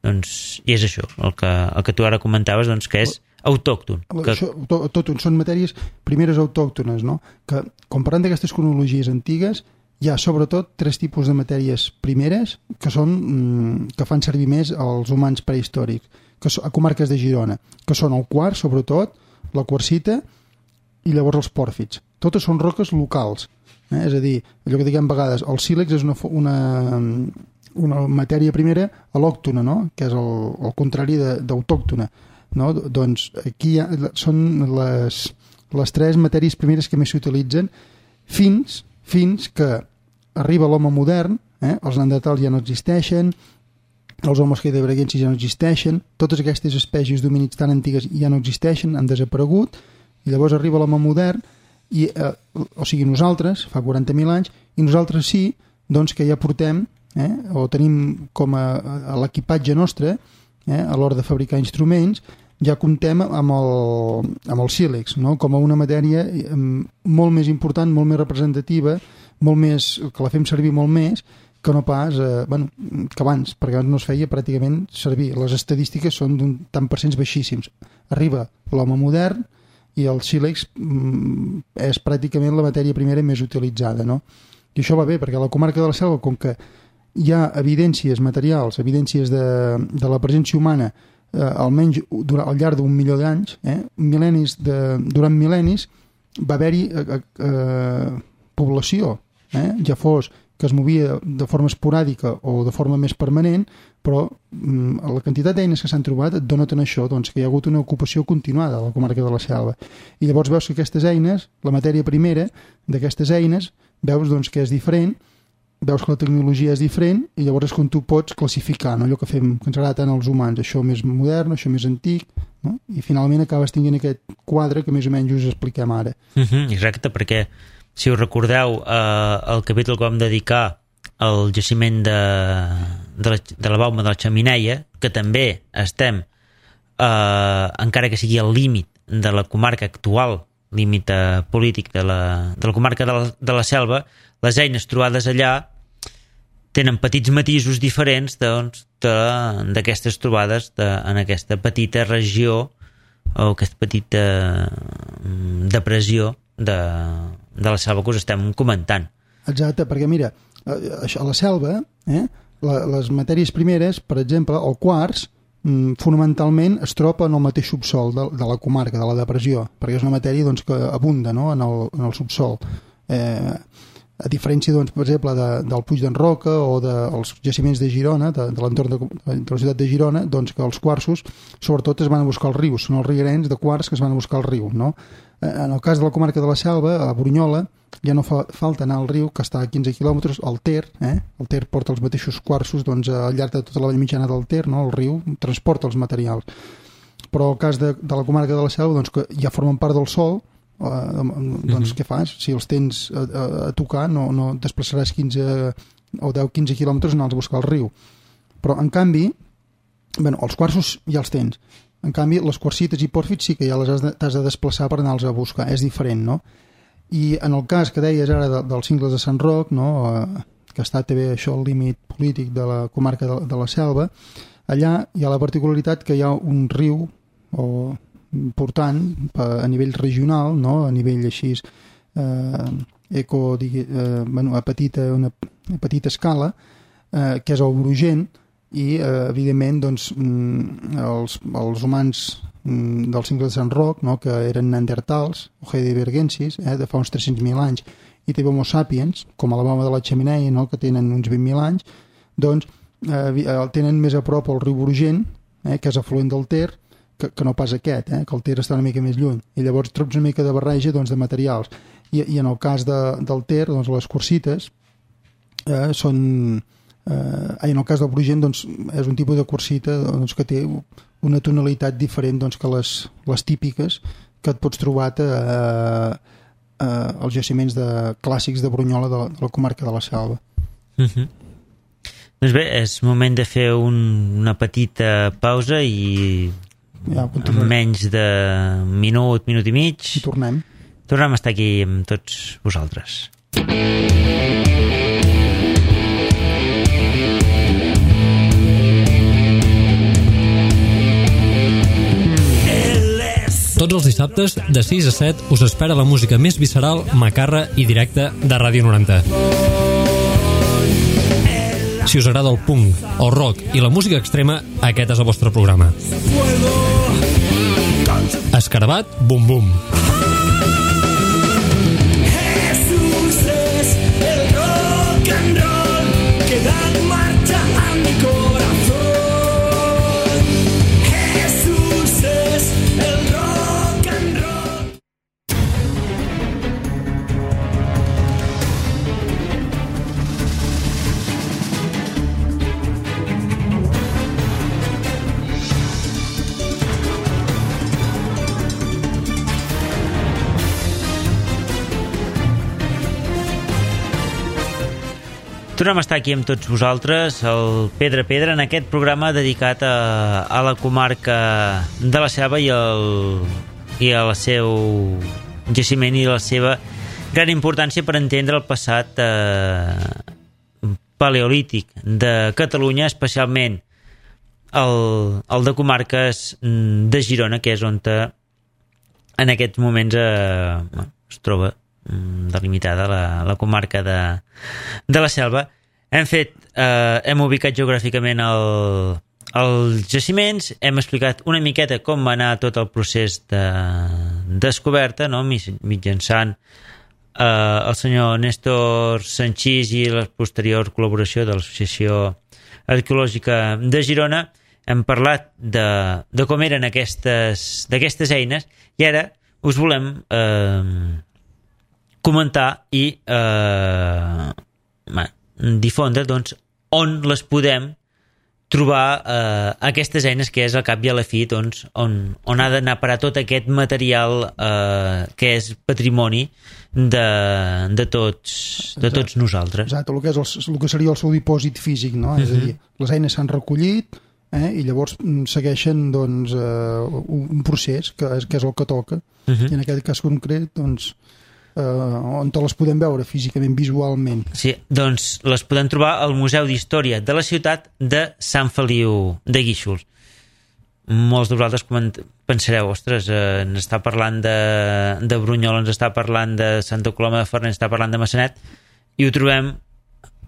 Doncs, i és això, el que, el que tu ara comentaves, doncs, que és autòcton. Que... Això, autòcton, són matèries primeres autòctones, no? Que, comparant d'aquestes cronologies antigues, hi ha sobretot tres tipus de matèries primeres que són que fan servir més els humans prehistòrics, que són, a comarques de Girona, que són el quars, sobretot, la quarsita i llavors els pòrfids. Totes són roques locals, eh? És a dir, allò que diguem a vegades, el sílex és una... una una matèria primera al·lòctona, no?, que és el, el contrari d'autòctona, no? Doncs aquí ha, són les, les tres matèries primeres que més s'utilitzen fins, fins que arriba l'home modern, eh? Els neandertals ja no existeixen, els homes heidelbergensis ja no existeixen, totes aquestes espècies d'homínids tan antigues ja no existeixen, han desaparegut, i llavors arriba l'home modern, i, eh, o sigui, nosaltres, fa quaranta mil anys, i nosaltres sí, doncs que ja portem Eh? o tenim com a, a l'equipatge nostre, eh? a l'hora de fabricar instruments, ja comptem amb el, amb el sílex, no?, com a una matèria molt més important, molt més representativa, molt més, que la fem servir molt més que no pas, eh, bueno, que abans, perquè abans no es feia pràcticament servir. Les estadístiques són d'un tant per cents baixíssims. Arriba l'home modern i el sílex mm, és pràcticament la matèria primera més utilitzada, no? I això va bé, perquè a la comarca de la Selva, com que hi ha evidències materials, evidències de, de la presència humana, eh, almenys durant, al llarg d'un milió d'anys, eh, mil·lennis de, durant mil·lennis va haver-hi eh, eh, població, eh, ja fos que es movia de forma esporàdica o de forma més permanent, però mm, la quantitat d'eines que s'han trobat et donen això, doncs, que hi ha hagut una ocupació continuada a la comarca de la Selva. I llavors veus que aquestes eines, la matèria primera d'aquestes eines, veus doncs, que és diferent, veus que la tecnologia és diferent i llavors és quan tu pots classificar, no? Allò que fem, que ens agrada tant als humans, això més modern, això més antic, no? I finalment acabes tinguent aquest quadre que més o menys us expliquem ara. Uh-huh, exacte, perquè si us recordeu eh, el capítol que vam dedicar al jaciment de, de, la, de la Bauma de la Xemineia, que també estem eh, encara que sigui al límit de la comarca actual, límit eh, polític de la, de la comarca de la, de la Selva, les eines trobades allà tenen petits matisos diferents doncs, d'aquestes trobades de, en aquesta petita regió o aquesta petita depressió de, de la selva que us estem comentant. Exacte, perquè mira, a la selva, eh, les matèries primeres, per exemple, el quars, fonamentalment es troba en el mateix subsol de, de la comarca, de la depressió, perquè és una matèria doncs, que abunda, no?, en, el, en el subsol. Eh, a diferència, doncs, per exemple, de, del Puig d'en Roca o dels de, jaciments de Girona, de, de l'entorn de, de la ciutat de Girona, doncs que els quarsos, sobretot, es van a buscar als rius, són els rierens de quars que es van a buscar al riu, no? En el cas de la comarca de la Selva, a Brunyola, ja no fa falta anar al riu, que està a quinze quilòmetres, al Ter, eh? El Ter porta els mateixos quarsos, doncs, al llarg de tota la vall mitjana del Ter, no? El riu transporta els materials. Però el cas de, de la comarca de la Selva, doncs, que ja formen part del sòl, Uh, doncs mm-hmm. què fas? Si els tens a, a, a tocar no, no desplaçaràs quinze o deu quinze quilòmetres anar a buscar al riu, però en canvi bueno, els quarsos ja els tens, en canvi les quarsites i pòrfits sí que ja les has de, t'has de desplaçar per anar-los a buscar, és diferent, no? I en el cas que deies ara de, dels cingles de Sant Roc, no? Uh, que està també això al límit polític de la comarca de, de la Selva, allà hi ha la particularitat que hi ha un riu o important a nivell regional, no? A nivell així eh, eco, digui, eh, bueno, a, petita, una, a petita escala, eh, que és el Brugent, i eh, evidentment doncs, els, els humans del cingle de Sant Roc, no? Que eren neandertals o heidelbergensis, eh, de fa uns tres-cents mil anys, i també homo sapiens, com a la Bauma de la Xemineia, no? Que tenen uns vint mil anys, doncs eh, el tenen més a prop el riu Brugent, eh, que és afluent del Ter, Que, que no pas aquest, eh? Que el Ter està una mica més lluny, i llavors trobes una mica de barreja doncs, de materials, i, i en el cas de, del Ter, doncs, les quarsites eh, són eh, en el cas del Brugent doncs, és un tipus de quarsita doncs, que té una tonalitat diferent doncs, que les, les típiques que et pots trobar a, a, a, als jaciments de, clàssics de Brunyola de, de la comarca de la Selva. Mm-hmm. Doncs bé, és moment de fer un, una petita pausa i ja, en menys de minut, minut i mig i tornem tornem a estar aquí amb tots vosaltres. Tots els dissabtes de sis a set us espera la música més visceral, macarra i directa de Ràdio noranta. Si us agrada el punk, el rock i la música extrema, aquest és el vostre programa. Escarabat, bum bum. Jesús es el rock and roll que da marcha a mi corazón. Jesús es el rock and roll. Tornem a estar aquí amb tots vosaltres, el Pedra Pedra, en aquest programa dedicat a, a la comarca de la Selva i, el, i al seu jaciment i la seva gran importància per entendre el passat eh, paleolític de Catalunya, especialment el, el de comarques de Girona, que és on te, en aquests moments eh, es troba delimitada la, la comarca de, de la Selva. Hem fet, eh, hem ubicat geogràficament el, els jaciments, hem explicat una miqueta com va anar tot el procés de descoberta, no? Mitjançant eh, el senyor Néstor Sanchís i la posterior col·laboració de l'Associació Arqueològica de Girona, hem parlat de, de com eren aquestes, d'aquestes eines, i ara us volem eh, comentar i eh, difondre doncs, on les podem trobar, eh, aquestes eines, que és al cap i a la fi doncs, on, on ha d'anar a parar tot aquest material eh, que és patrimoni de, de, tots, de tots nosaltres. Exacte, el que, és el, el que seria el seu dipòsit físic, no? Uh-huh. És a dir, les eines s'han recollit, eh, i llavors segueixen doncs, eh, un procés que és, que és el que toca. Uh-huh. I en aquest cas concret doncs, eh, on te les podem veure físicament, visualment. Sí, doncs les podem trobar al Museu d'Història de la ciutat de Sant Feliu de Guíxols. Molts de vosaltres pensareu, ostres, eh, ens està parlant de, de Brunyola, ens està parlant de Santa Coloma de Farners, ens està parlant de Massanet, i ho trobem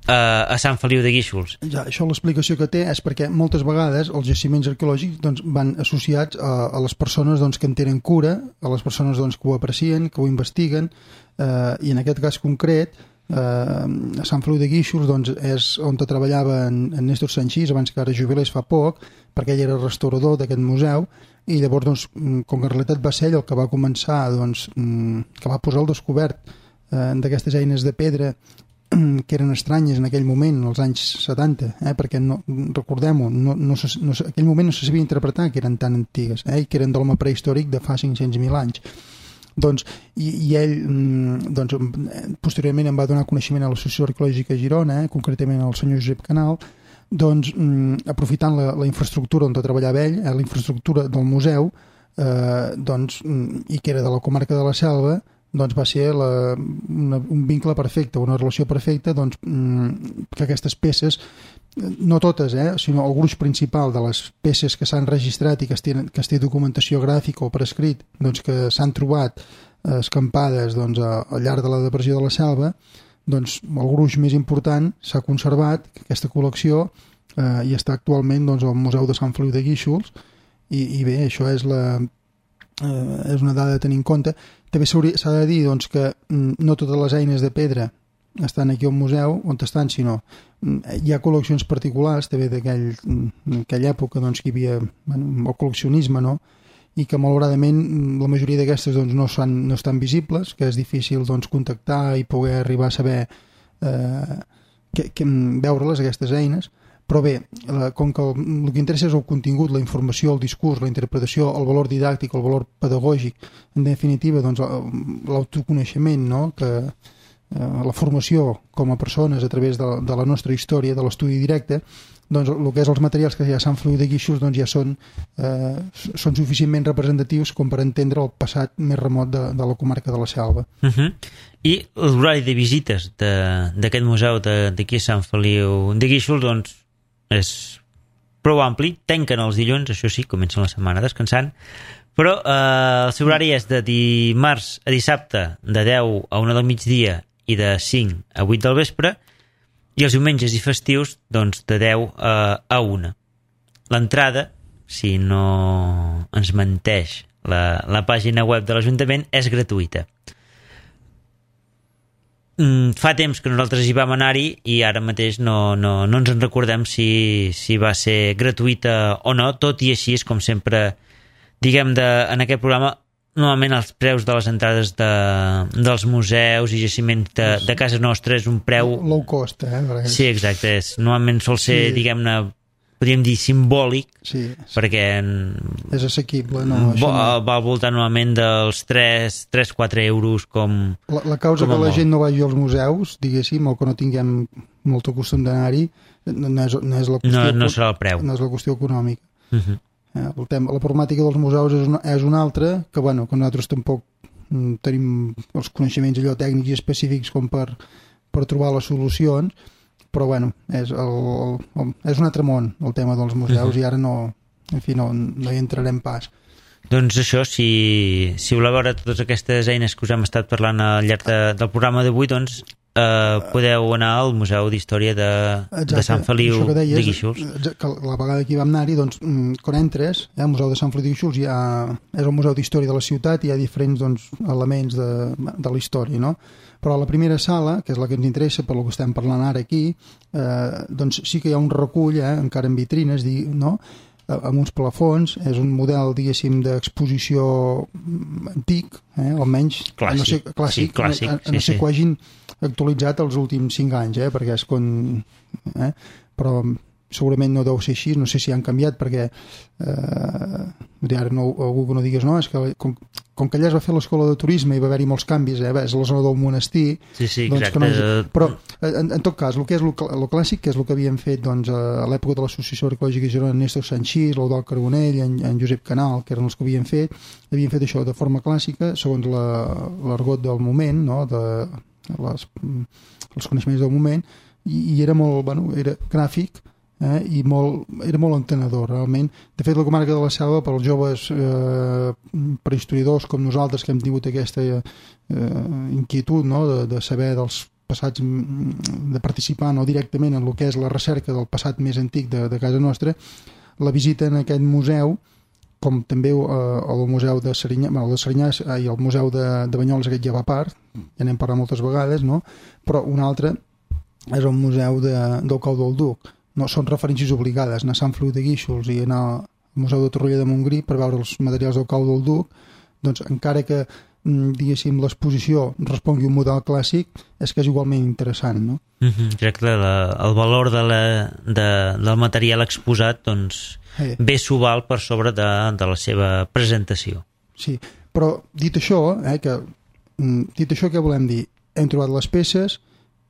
a Sant Feliu de Guíxols. Ja, això l'explicació que té és perquè moltes vegades els jaciments arqueològics doncs, van associats a, a les persones doncs, que en tenen cura, a les persones doncs, que ho aprecien, que ho investiguen, eh, i en aquest cas concret eh, a Sant Feliu de Guíxols doncs, és on treballava en, en Néstor Sanchís, abans que ara jubilés fa poc, perquè ell era restaurador d'aquest museu, i llavors doncs, com que en realitat va ser ell el que va començar, doncs, que va posar al descobert eh, d'aquestes eines de pedra que eren estranyes en aquell moment, als anys setanta, eh? perquè no, recordem-ho, no, no, no, en aquell moment no se sabia interpretar que eren tan antigues, eh? i que eren d'home prehistòric de fa cinc-cents mil anys. Doncs, i, i ell doncs, posteriorment em va donar coneixement a l'Associació Arqueològica de Girona, eh? concretament al senyor Josep Canal, doncs, aprofitant la, la infraestructura on treballava ell, eh? la infraestructura del museu, eh, doncs, i que era de la comarca de la Selva, doncs va ser la, una, un vincle perfecte, una relació perfecta, doncs, que aquestes peces, no totes, eh, sinó el gruix principal de les peces que s'han registrat i que es, tenen, que es té documentació gràfica o per escrit, doncs, que s'han trobat eh, escampades doncs, a, al llarg de la depressió de la Selva, doncs, el gruix més important s'ha conservat, aquesta col·lecció, eh, i està actualment doncs, al Museu de Sant Feliu de Guíxols, i, i bé, això és la... Eh, és una dada a tenir en compte. També s'ha de dir doncs, que no totes les eines de pedra estan aquí al museu on estan, sinó hi ha col·leccions particulars també d'aquella època doncs, que hi havia bueno, el col·leccionisme, no? I que malauradament la majoria d'aquestes doncs, no, són, no estan visibles, que és difícil doncs, contactar i poder arribar a saber eh, que, que, veure-les, aquestes eines. Però bé, com que el, el que interessa és el contingut, la informació, el discurs, la interpretació, el valor didàctic, el valor pedagògic, en definitiva, doncs, l'autoconeixement, no? que, eh, la formació com a persones a través de, de la nostra història, de l'estudi directe, doncs el que és els materials que hi ha a Sant Feliu de Guíxols doncs, ja són, eh, són suficientment representatius com per entendre el passat més remot de, de la comarca de la Selva. Uh-huh. I l'horari de visites d'aquest museu d'aquí a Sant Feliu de Guíxols, doncs, és prou ampli, tanquen els dilluns, això sí, comencen la setmana descansant, però eh, el seu horari és de dimarts a dissabte de deu a una del migdia i de cinc a vuit del vespre, i els diumenges i festius doncs de deu a una. L'entrada, si no ens menteix la, la pàgina web de l'Ajuntament, és gratuïta. Fa temps que nosaltres hi vam anar-hi i ara mateix no, no, no ens en recordem si, si va ser gratuïta o no, tot i així és com sempre diguem de, en aquest programa normalment els preus de les entrades de, dels museus i jaciments de, de casa nostra és un preu low cost, eh? Perquè... sí, exacte, és, normalment sol ser sí. diguem-ne, podríem dir simbòlic, sí, perquè és assequible, no, va, no. va al voltant normalment dels tres a quatre euros com la, la causa com que la molt. gent no vagi als museus, diguéssim, o que no tinguem molt costum d'anar-hi, no, és, no és la qüestió, no, no serà el preu, no és la qüestió econòmica. uh-huh. eh, el tema, la problemàtica dels museus és una, és una altra, que bueno, que nosaltres tampoc mm, tenim els coneixements allò tècnics i específics com per, per trobar les solucions, però bueno, és, el, el, el, és un altre món el tema dels museus, uh-huh. i ara no, en fi, no, no hi entrarem pas. Doncs això, si, si voleu veure totes aquestes eines que us hem estat parlant al llarg de, del programa d'avui, doncs eh, podeu anar al Museu d'Història de, de Sant Feliu això que deies, de Guíxols. Que la vegada que hi vam anar-hi, doncs, quan entres, eh, al Museu de Sant Feliu de Guíxols, hi ha, és el Museu d'Història de la ciutat i hi ha diferents doncs, elements de, de la història, no? Però a la primera sala, que és la que ens interessa per lo que estem parlant ara aquí, eh, doncs sí que hi ha un recull, eh, encara en vitrines, no?, amb uns plafons, és un model, diguéssim, d'exposició antic, eh, almenys clàssic, no sé, clàssic, sí, clàssic, a, a, a no sí, sé sí. que ho hagin actualitzat els últims cinc anys, eh, perquè és quan... Eh, però segurament no deu ser així, no sé si han canviat, perquè eh, ara no, algú que no digués no, és que com, com que allà es va fer l'escola de turisme i va haver-hi molts canvis, eh, és la zona del monestir, sí, sí, doncs exacte. Que no, però en, en tot cas, el que és el clàssic, que és el que havien fet doncs, a l'època de l'Associació Arqueològica de Girona, Néstor Sanchís, l'Eudald Carbonell, en, en Josep Canal, que eren els que havien fet, havien fet això de forma clàssica, segons l'argot del moment, no? De les, els coneixements del moment, i, i era molt, bueno, era gràfic, Eh, i molt, era molt entenedor realment. De fet, la comarca de la Selva, per als joves eh, prehistoriadors com nosaltres, que hem tingut aquesta eh, inquietud, no?, de, de saber dels passats, de participar no directament en el que és la recerca del passat més antic de, de casa nostra, la visita en aquest museu, com també eh, el museu de Serinyà, bueno, el de Serinyà i el museu de, de Banyoles, aquest ja va a part, ja n'hem parlat moltes vegades, no?, però un altre és el museu de, del Cau del Duc. No, són referències obligades, anar a Sant Feliu de Guíxols i anar al Museu de Torroella de Montgrí per veure els materials del Cau del Duc, doncs encara que, diguéssim, l'exposició respongui un model clàssic, és que és igualment interessant, no? Mm-hmm, exacte, la, el valor de la, de, del material exposat doncs, eh. bé s'ho val per sobre de, de la seva presentació. Sí, però dit això, eh, que, dit això, què volem dir? Hem trobat les peces,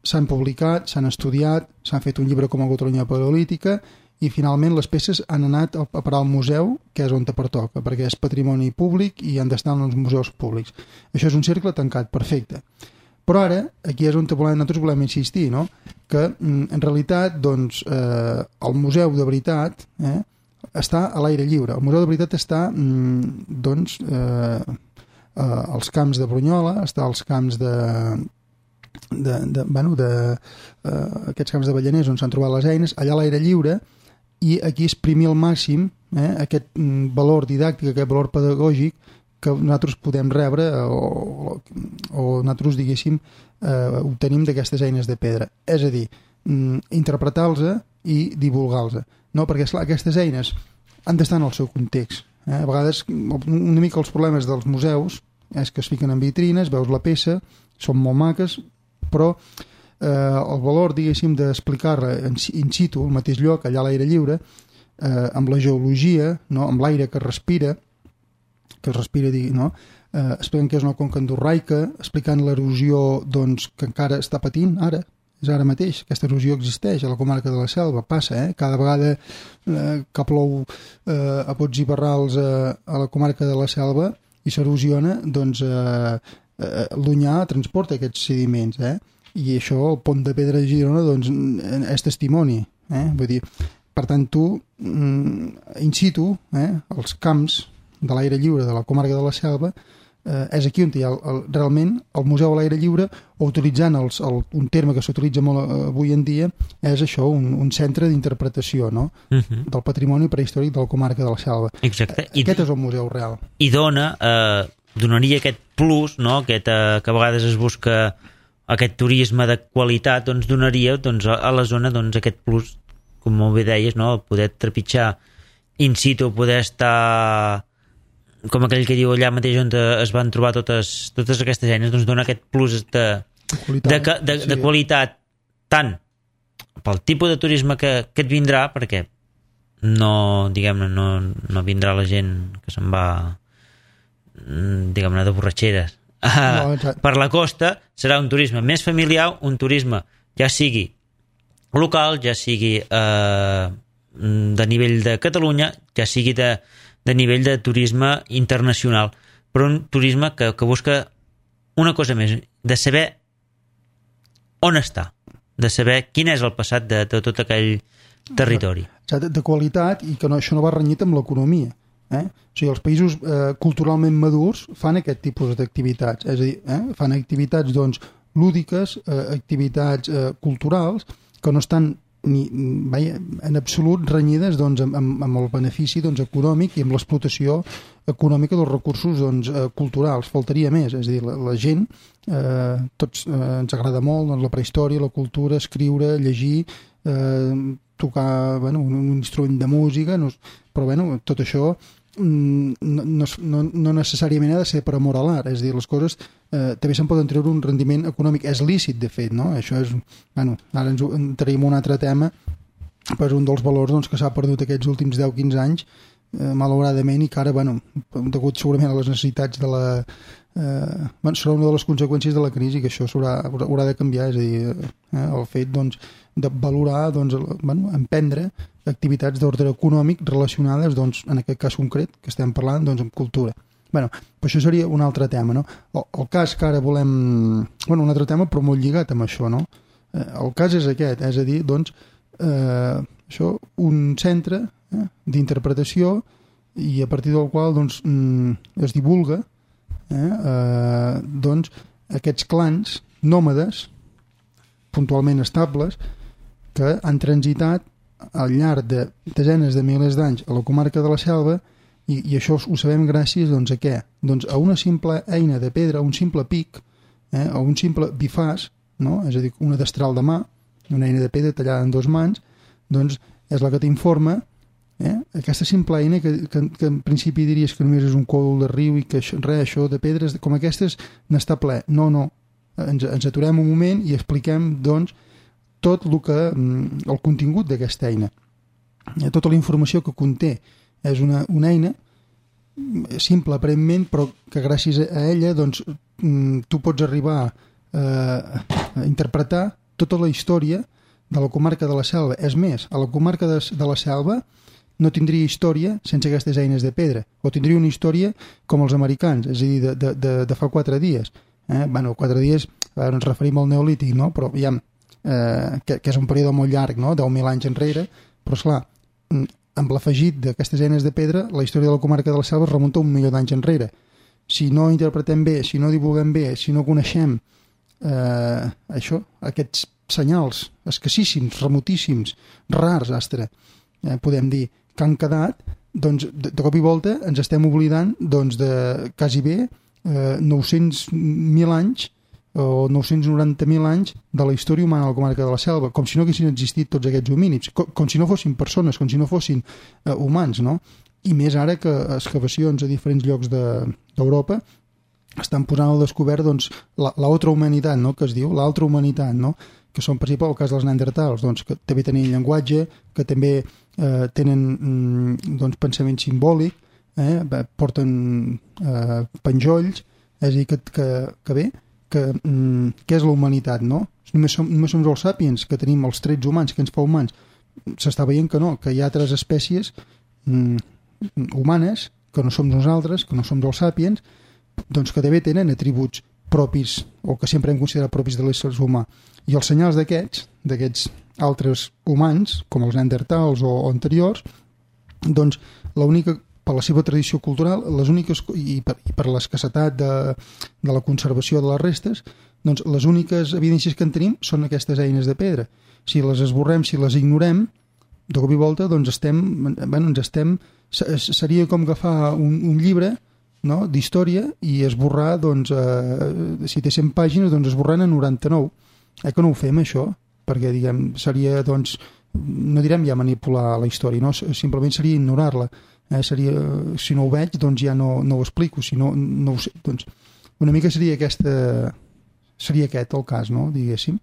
s'han publicat, s'han estudiat, s'han fet un llibre com a Catalunya Paleolítica i finalment les peces han anat a parar al museu, que és on te pertoca, perquè és patrimoni públic i han d'estar en els museus públics. Això és un cercle tancat, perfecte. Però ara, aquí és on volem, nosaltres volem insistir, no?, que en realitat doncs, eh, el museu de veritat eh, està a l'aire lliure. El museu de veritat està doncs, eh, eh, als camps de Brunyola, està als camps de... de, de, bueno, de uh, aquests camps de Ballaners on s'han trobat les eines, allà a l'aire lliure, i aquí exprimir al màxim eh, aquest mm, valor didàctic, aquest valor pedagògic que nosaltres podem rebre o, o nosaltres, diguéssim, eh, obtenim d'aquestes eines de pedra. És a dir, mm, interpretar-los i divulgar-los. No? Perquè, esclar, aquestes eines han d'estar en el seu context. Eh? A vegades, una mica els problemes dels museus és que es fiquen en vitrines, veus la peça, són molt maques, però eh, el valor, diguéssim, d'explicar-la in, in situ, al mateix lloc, allà a l'aire lliure, eh, amb la geologia, no? Amb l'aire que respira, que es respira, no? eh, explicant que és una conca endorraica, explicant l'erosió doncs, que encara està patint ara, és ara mateix, aquesta erosió existeix a la comarca de la Selva, passa, eh? Cada vegada eh, que plou eh, a pots i barrals eh, a la comarca de la Selva i s'erosiona, doncs eh, eh, l'Onyar transporta aquests sediments, eh? I això, el pont de pedra de Girona, doncs, és testimoni, eh? Vull dir, per tant, tu, in situ, eh, els camps de l'aire lliure de la comarca de la Selva, eh, és aquí on hi ha el, el, realment el museu a l'aire lliure, o utilitzant els, el, un terme que s'utilitza molt avui en dia, és això, un, un centre d'interpretació, no? Uh-huh. Del patrimoni prehistòric de la comarca de la Selva. Exacte. I, aquest és el museu real. I dona, eh, donaria aquest plus, no? Aquest, eh, que a vegades es busca aquest turisme de qualitat, doncs donaria doncs, a la zona doncs, aquest plus, com molt bé deies, no? Poder trepitjar in situ, poder estar com aquell que diu allà mateix on es van trobar totes, totes aquestes eines, doncs dona aquest plus de, de, de, de, sí. de qualitat, tant pel tipus de turisme que, que et vindrà, perquè no, diguem-ne, no, no vindrà la gent que se'n va, diguem-ne, de borratxeres no, per la costa, serà un turisme més familiar, un turisme ja sigui local, ja sigui eh, de nivell de Catalunya, ja sigui de, de nivell de turisme internacional, però un turisme que, que busca una cosa més, de saber on està, de saber quin és el passat de, de tot aquell territori. De, de qualitat, i que no, això no va renyit amb l'economia. Eh? O sigui, els països eh, culturalment madurs fan aquest tipus d'activitats, és a dir, eh? fan activitats doncs, lúdiques, eh, activitats eh, culturals que no estan ni, vaja, en absolut renyides doncs, amb, amb, amb el benefici doncs, econòmic i amb l'explotació econòmica dels recursos doncs, eh, culturals. Faltaria més, és a dir, la, la gent eh, tots eh, ens agrada molt doncs, la prehistòria, la cultura, escriure, llegir, eh, tocar bueno, un, un instrument de música, no, però bueno, tot això no, no, no necessàriament ha de ser per amor a l'art, és a dir, les coses eh, també se'n poden treure un rendiment econòmic, és lícit de fet, no? Això és, bueno, ara ens entraríem un altre tema, però és un dels valors doncs, que s'ha perdut aquests últims deu quinze anys eh, malauradament, i que ara, bueno, degut segurament a les necessitats de la eh, bueno, serà una de les conseqüències de la crisi, que això haurà, haurà de canviar, és a dir, eh, el fet doncs, de valorar, doncs, bueno, emprendre activitats d'ordre econòmic relacionades, doncs, en aquest cas concret que estem parlant, doncs, amb cultura. Bueno, però això seria un altre tema, no? El, el cas que ara volem... Bueno, un altre tema, però molt lligat amb això, no? Eh, el cas és aquest, és a dir, doncs, eh, això, un centre eh, d'interpretació i a partir del qual, doncs, es divulga eh, eh, doncs, aquests clans nòmades puntualment estables que han transitat al llarg de desenes de milers d'anys a la comarca de la Selva i, i això ho sabem gràcies doncs, a què? Doncs a una simple eina de pedra, un simple pic, eh, o un simple bifàs, no? És a dir, una destral de mà, una eina de pedra tallada en dos mans, doncs és la que t'informa eh, aquesta simple eina que, que, que en principi diries que només és un còdol de riu i que això, res, això de pedres com aquestes n'està ple. No, no. Ens, ens aturem un moment i expliquem doncs tot el que el contingut d'aquesta eina, tota la informació que conté. És una, una eina simple aparentment, però que gràcies a ella doncs, tu pots arribar eh, a interpretar tota la història de la comarca de la Selva. És més, a la comarca de, de la Selva no tindria història sense aquestes eines de pedra, o tindria una història com els americans, és a dir, de, de, de, de fa quatre dies. Eh? Bueno, quatre dies, ara ens referim al neolític, no? Però ja, eh, que, que és un període molt llarg, no? deu mil anys enrere, però esclar, amb l'afegit d'aquestes eines de pedra, la història de la comarca de la Selva es remunta un milió d'anys enrere. Si no interpretem bé, si no divulguem bé, si no coneixem eh, això, aquests senyals escassíssims, remotíssims, rars, astre, eh, podem dir, que han quedat, doncs de, de cop i volta ens estem oblidant doncs, de quasi bé eh, nou-cents mil anys o nou-cents noranta mil anys de la història humana a la comarca de la Selva, com si no haguessin existit tots aquests homínids, com, com si no fossin persones, com si no fossin eh, humans, no? I més ara que excavacions a diferents llocs d'Europa de, estan posant al descobert doncs, la, la altra humanitat, no? Que es diu, l'altra humanitat, no? Que són, per exemple, el cas dels neandertals, doncs, que també tenen llenguatge, que també eh, tenen mm, doncs, pensament simbòlic, eh, porten eh, penjolls, és a dir, que, que, que bé, que, mm, què és la humanitat, no? Només som, només som els sàpiens, que tenim els trets humans, que ens fa humans. S'està veient que no, que hi ha altres espècies mm, humanes, que no som nosaltres, que no som els sàpiens, doncs que també tenen atributs propis, o que sempre hem considerat propis de l'ésser humà. I els senyals d'aquests, d'aquests altres humans, com els neandertals o, o anteriors, doncs l'única, per la seva tradició cultural, les úniques, i per, i per l'escassetat de, de la conservació de les restes, doncs les úniques evidències que en tenim són aquestes eines de pedra. Si les esborrem, si les ignorem, de cop i volta doncs estem, bueno, ens estem, seria com agafar un, un llibre, no?, d'història i esborrar, doncs, eh, si té cent pàgines, doncs esborrant a noranta-nou. Eh que no ho fem, això? Perquè, diguem, seria, doncs, no direm ja manipular la història, no? Simplement seria ignorar-la. Eh? Seria, si no ho veig, doncs ja no, no ho explico. Si no, no ho sé, doncs, una mica seria aquesta, seria aquest el cas, no?, diguéssim.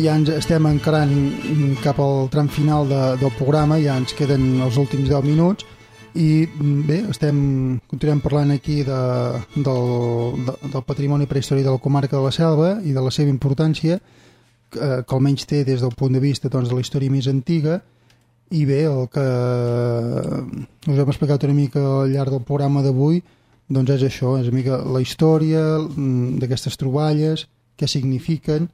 ja ens estem encarant cap al tram final de, del programa, ja ens queden els últims deu minuts i bé, estem, continuem parlant aquí de, del, de, del patrimoni prehistòric de la comarca de la Selva i de la seva importància, que, que almenys té des del punt de vista doncs, de la història més antiga. I bé, el que us hem explicat una mica al llarg del programa d'avui doncs és això, és una mica la història d'aquestes troballes, què signifiquen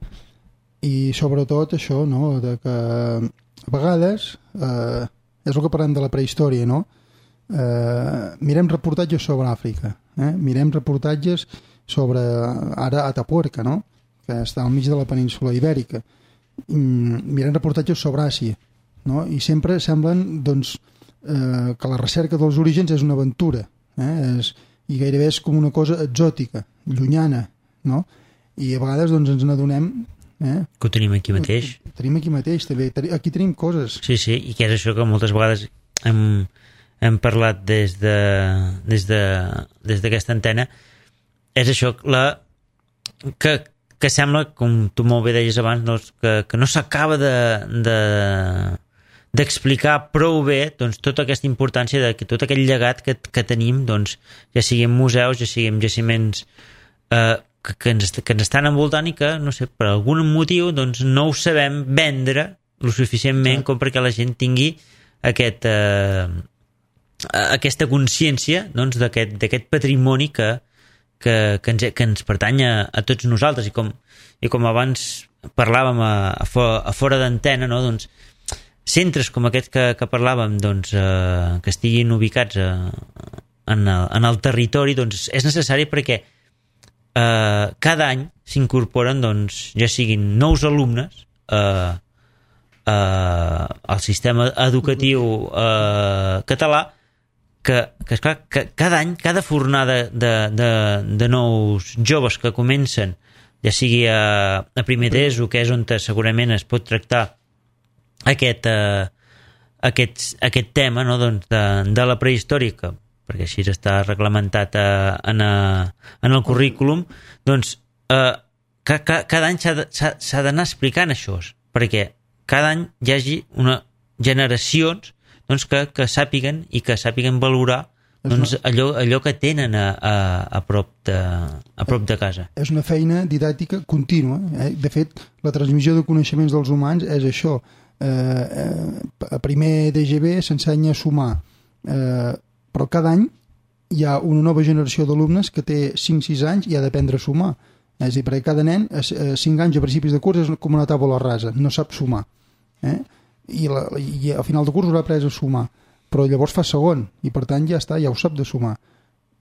i sobretot això, no? De que a vegades eh, és el que parlem de la prehistòria, no? Eh, mirem reportatges sobre Àfrica, eh? Mirem reportatges sobre ara Atapuerca, no? Que està al mig de la península Ibèrica. Mirem reportatges sobre Àsia, no? I sempre semblen doncs, eh, que la recerca dels orígens és una aventura, eh? és, i gairebé és com una cosa exòtica, llunyana, no? I a vegades doncs, ens n'adonem eh? que ho tenim aquí mateix. Ho tenim aquí mateix, també. Aquí tenim coses. Sí, sí, i que és això que moltes vegades hem, hem parlat des de des de des d'aquesta antena, és això, la que, que sembla, com tu molt bé deies abans, no, que, que no s'acaba de, de d'explicar prou bé doncs, tota aquesta importància de que tot aquell llegat que, que tenim, doncs, ja sigui en museus, ja sigui en jaciments eh, que, que, ens, que ens estan envoltant i que, no sé, per algun motiu doncs, no ho sabem vendre lo suficientment com perquè la gent tingui aquest, eh, aquesta consciència doncs, d'aquest patrimoni que, que, que, ens, que ens pertany a, a tots nosaltres i com, i com abans parlàvem a, a, fora, a fora d'antena, no? Doncs, centres com aquests que, que parlàvem doncs, eh, que estiguin ubicats a, en, el, en el territori doncs, és necessari perquè eh, cada any s'incorporen doncs, ja siguin nous alumnes eh, eh, al sistema educatiu eh, català que, que, esclar, que cada any, cada fornada de, de, de nous joves que comencen, ja sigui a, a primer d'ESO, que és on segurament es pot tractar aquest, eh, aquest, aquest tema, no? doncs de, de la prehistòrica, perquè així està reglamentat a, en, a, en el currículum, doncs eh, ca, ca, cada any s'ha d'anar explicant això, perquè cada any hi hagi una generacions doncs, que, que sàpiguen i que sàpiguen valorar doncs, allò, allò que tenen a, a, a, prop de, a prop de casa. És una feina didàctica contínua. Eh? De fet, la transmissió de coneixements dels humans és això. Eh, eh, a primer D G B s'ensenya a sumar, eh, però cada any hi ha una nova generació d'alumnes que té cinc sis anys i ha d'aprendre a sumar. És a dir, perquè cada nen a cinc anys a principis de curs és com una taula rasa, no sap sumar. Eh? I, la, i al final de curs haurà après a sumar, però llavors fa segon i per tant ja està, ja ho sap de sumar.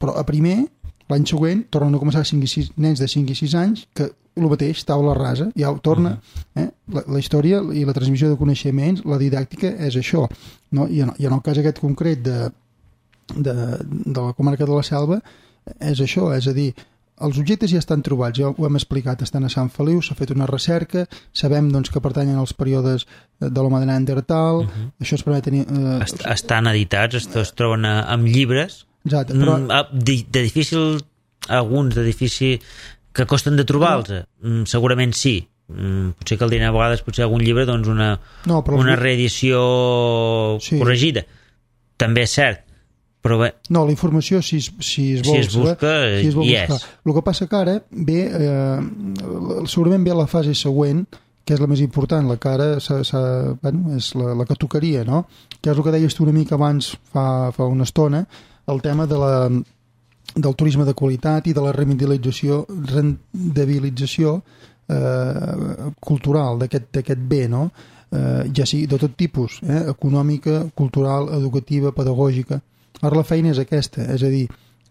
Però a primer, l'any següent tornen a començar cinc i sis, nens de cinc i sis anys que el mateix, taula rasa, ja ho torna. Eh? La, la història i la transmissió de coneixements, la didàctica és això, no? I, en, i en el cas aquest concret de, de, de la comarca de la Selva és això, és a dir, els objectes ja estan trobats, ja ho hem explicat, estan a Sant Feliu, s'ha fet una recerca, sabem doncs, que pertanyen als períodes de l'home de Neandertal, uh-huh. Això es permet tenir... Eh, Est estan editats, es, es troben a, amb llibres, exacte, però... mm, de, de difícil, alguns de difícil, que costen de trobar-los, mm, segurament sí, mm, potser caldria a vegades potser algun llibre, doncs una, no, una reedició sí. corregida, també és cert, però bé. No, la informació, si, si es vol si es busca, saber, si es vol hi buscar. és. El que passa que ara ve, eh, segurament ve la fase següent, que és la més important, la que ara s'ha, s'ha, bueno, és la, la que tocaria, no? Que és el que deies tu una mica abans, fa, fa una estona, el tema de la, del turisme de qualitat i de la rendibilització, rendibilització eh, cultural d'aquest bé, no? Eh, ja sigui de tot tipus, eh? Econòmica, cultural, educativa, pedagògica. Ara la feina és aquesta, és a dir,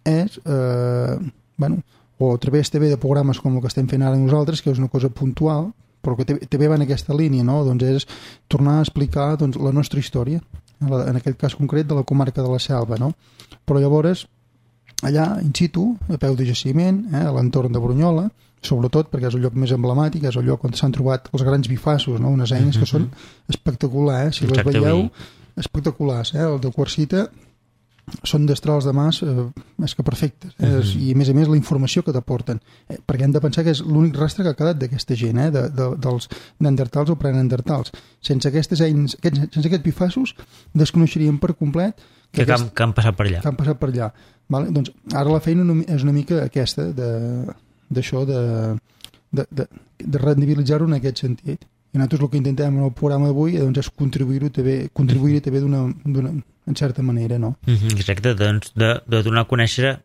és, eh, bueno, o a través també de programes com el que estem fent ara nosaltres, que és una cosa puntual, però que també va en aquesta línia, no? Doncs és tornar a explicar doncs, la nostra història, en aquest cas concret de la comarca de la Selva, no? Però llavors, allà, in situ, a peu de jaciment, eh, a l'entorn de Brunyola, sobretot perquè és el lloc més emblemàtic, és el lloc on s'han trobat els grans bifassos, no? Unes eines que són espectaculars, eh? Si les veieu, espectaculars, eh? El de Quarsita són destrals de mas eh, més que perfectes, eh? uh-huh. I a més a més la informació que t'aporten, eh? Perquè hem de pensar que és l'únic rastre que ha quedat d'aquesta gent, eh? de, de, dels neandertals o preneandertals. Sense aquestes eines, aquests, sense aquests bifassos desconeixeríem per complet que, que, aquest, aquest, que han passat per allà, que han passat per allà. Vale? Doncs ara la feina és una mica aquesta d'això de, de, de, de rendibilitzar-ho en aquest sentit. I nosaltres el que intentem en el programa d'avui doncs, és contribuir-ho també, contribuir-hi també d'una, d'una, en certa manera, no? Mm-hmm, exacte, doncs de, de donar a conèixer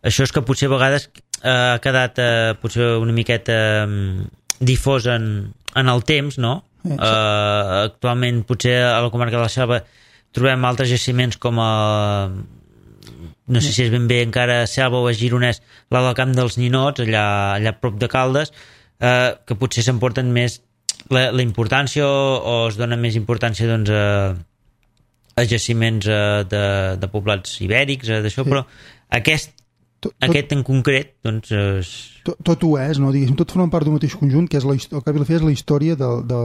això és que potser a vegades eh, ha quedat eh, potser una miqueta eh, difós en, en el temps, no? Eh, sí. eh, actualment potser a la comarca de la Selva trobem altres jaciments com a no sé si és ben bé encara Selva o a Gironès, la del Camp dels Ninots, allà, allà a prop de Caldes, eh, que potser s'emporten més la, la importància o, o es dona més importància doncs, a, a jaciments a, de, de poblats ibèrics, a, d'això, sí. Però aquest, tot, aquest en concret doncs, és... tot, tot ho és, no? Diguéssim, tot forma part d'un mateix conjunt, que és la, el que és la història de, de,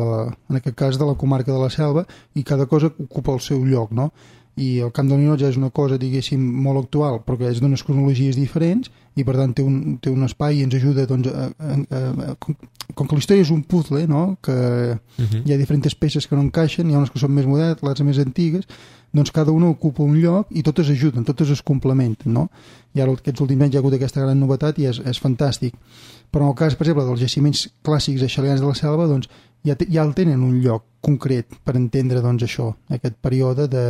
en aquest cas de la comarca de la Selva, i cada cosa ocupa el seu lloc, no? I el Camp del Ninot ja és una cosa, diguéssim, molt actual, però que és d'unes cronologies diferents i per tant té un, té un espai i ens ajuda doncs, a, a, a, a, com, com que la història és un puzzle, no? Que uh-huh. Hi ha diferents peces que no encaixen, hi ha unes que són més modernes, les més antigues, doncs cada una ocupa un lloc i totes ajuden, totes es complementen, no? I ara aquests últims anys hi ha hagut aquesta gran novetat i és, és fantàstic. Però en el cas, per exemple, dels jaciments clàssics aixalians de la Selva, doncs ja, te, ja el tenen un lloc concret per entendre doncs, això, aquest període de,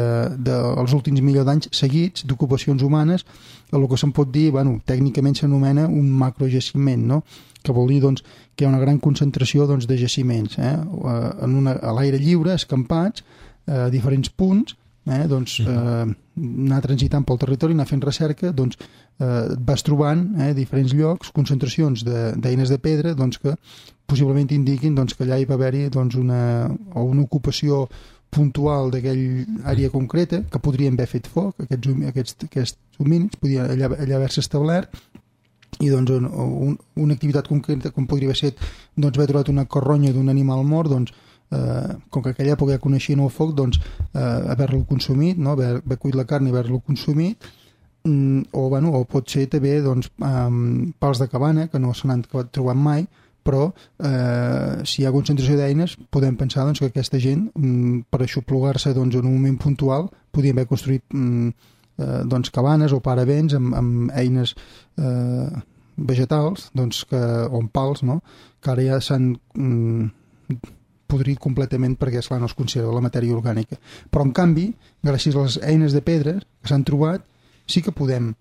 de els últims milions d'anys seguits d'ocupacions humanes, el que se'n pot dir, bueno, tècnicament s'anomena un macrojaciment, no? Que vol dir doncs, que hi ha una gran concentració doncs, de jaciments, eh? En una, a l'aire lliure, escampats, a diferents punts, eh? doncs, eh, anar transitant pel territori, anar fent recerca, doncs, eh, vas trobant eh, diferents llocs, concentracions d'eines de, de pedra doncs, que possiblement indiquin doncs, que allà hi va haver-hi doncs, una, o una ocupació puntual d'aquella àrea concreta, que podrien haver fet foc, aquests, aquests, aquests homínids, podien allà, allà haver-se establert, i doncs un, un, una activitat concreta, com podria haver set doncs, haver trobat una carronya d'un animal mort, doncs, eh, com que en aquella època ja coneixien el foc, doncs, eh, haver-lo consumit, no? haver, haver cuit la carn i haver-lo consumit, mm, o, bueno, o pot ser també doncs, um, pals de cabana, que no se n'han trobat mai, però eh, si hi ha concentració d'eines podem pensar doncs, que aquesta gent mm, per aixoplugar-se doncs, en un moment puntual podien haver construït mm, eh, doncs, cabanes o paravents amb, amb eines eh, vegetals doncs, que, o amb pals, no? Que ara ja s'han mm, podrit completament perquè esclar, no es considera la matèria orgànica, però en canvi gràcies a les eines de pedra que s'han trobat sí que podem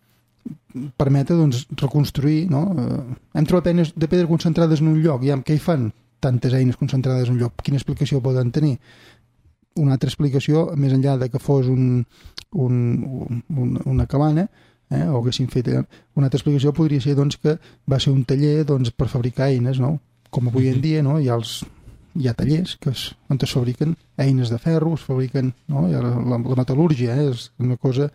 permetre doncs, reconstruir, no? Eh, hem trobat eines de pedra concentrades en un lloc, i amb què hi fan tantes eines concentrades en un lloc? Quina explicació poden tenir? Una altra explicació, més enllà de que fos un, un, un, una cabana, eh, o haguessin fet... Una altra explicació podria ser doncs, que va ser un taller doncs, per fabricar eines, no? Com avui en dia, no? Hi ha els hi ha tallers que es, on es fabriquen eines de ferro, es fabriquen, no? I la, la, la metal·lúrgia eh, és una cosa...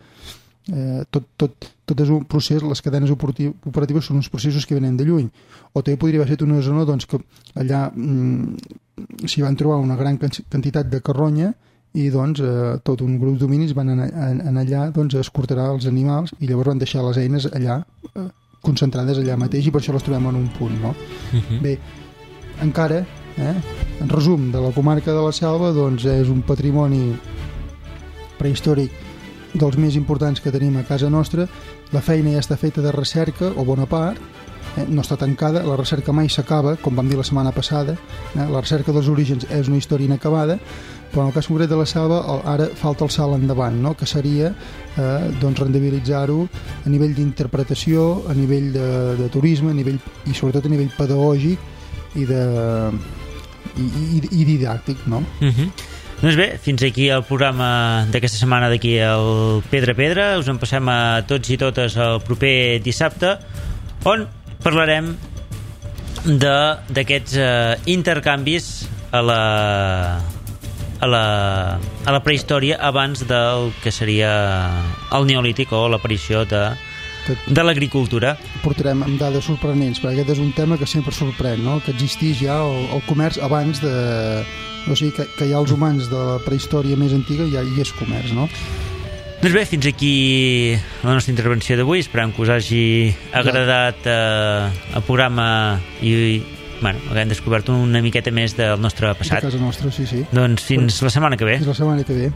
Eh, tot, tot, tot és un procés, les cadenes operatives són uns processos que venen de lluny, o també podria haver estat una zona doncs, que allà mm, s'hi van trobar una gran quantitat de carronya i doncs eh, tot un grup d'hominis van anar, anar allà doncs, a escorterar els animals i llavors van deixar les eines allà eh, concentrades allà mateix i per això les trobem en un punt, no? Uh-huh. Bé, encara eh, en resum de la comarca de la Selva doncs és un patrimoni prehistòric dels més importants que tenim a casa nostra. La feina ja està feta de recerca, o bona part, eh? no està tancada, la recerca mai s'acaba, com vam dir la setmana passada, eh? La recerca dels orígens és una història inacabada, però en el cas concret de la Selva ara falta el salt endavant, no? Que seria eh, doncs rendibilitzar-ho a nivell d'interpretació, a nivell de, de turisme, a nivell, i sobretot a nivell pedagògic i, de, i, i, i didàctic, no? Mhm. Doncs bé, fins aquí el programa d'aquesta setmana d'aquí al Pedra Pedra. Us en passem a tots i totes el proper dissabte, on parlarem d'aquests eh, intercanvis a la, a, la, a la prehistòria abans del que seria el neolític o l'aparició de, de l'agricultura. Portarem amb dades sorprenents, perquè aquest és un tema que sempre sorprèn, no? Que existís ja el, el comerç abans de... O sigui, que, que hi ha els humans de la prehistòria més antiga i ja hi és comerç, no? Doncs bé, fins aquí la nostra intervenció d'avui. Esperem que us hagi agradat eh, el programa i, bueno, haguem descobert una miqueta més del nostre passat. De casa nostra, sí, sí. Doncs fins la setmana que ve. Fins la setmana que ve.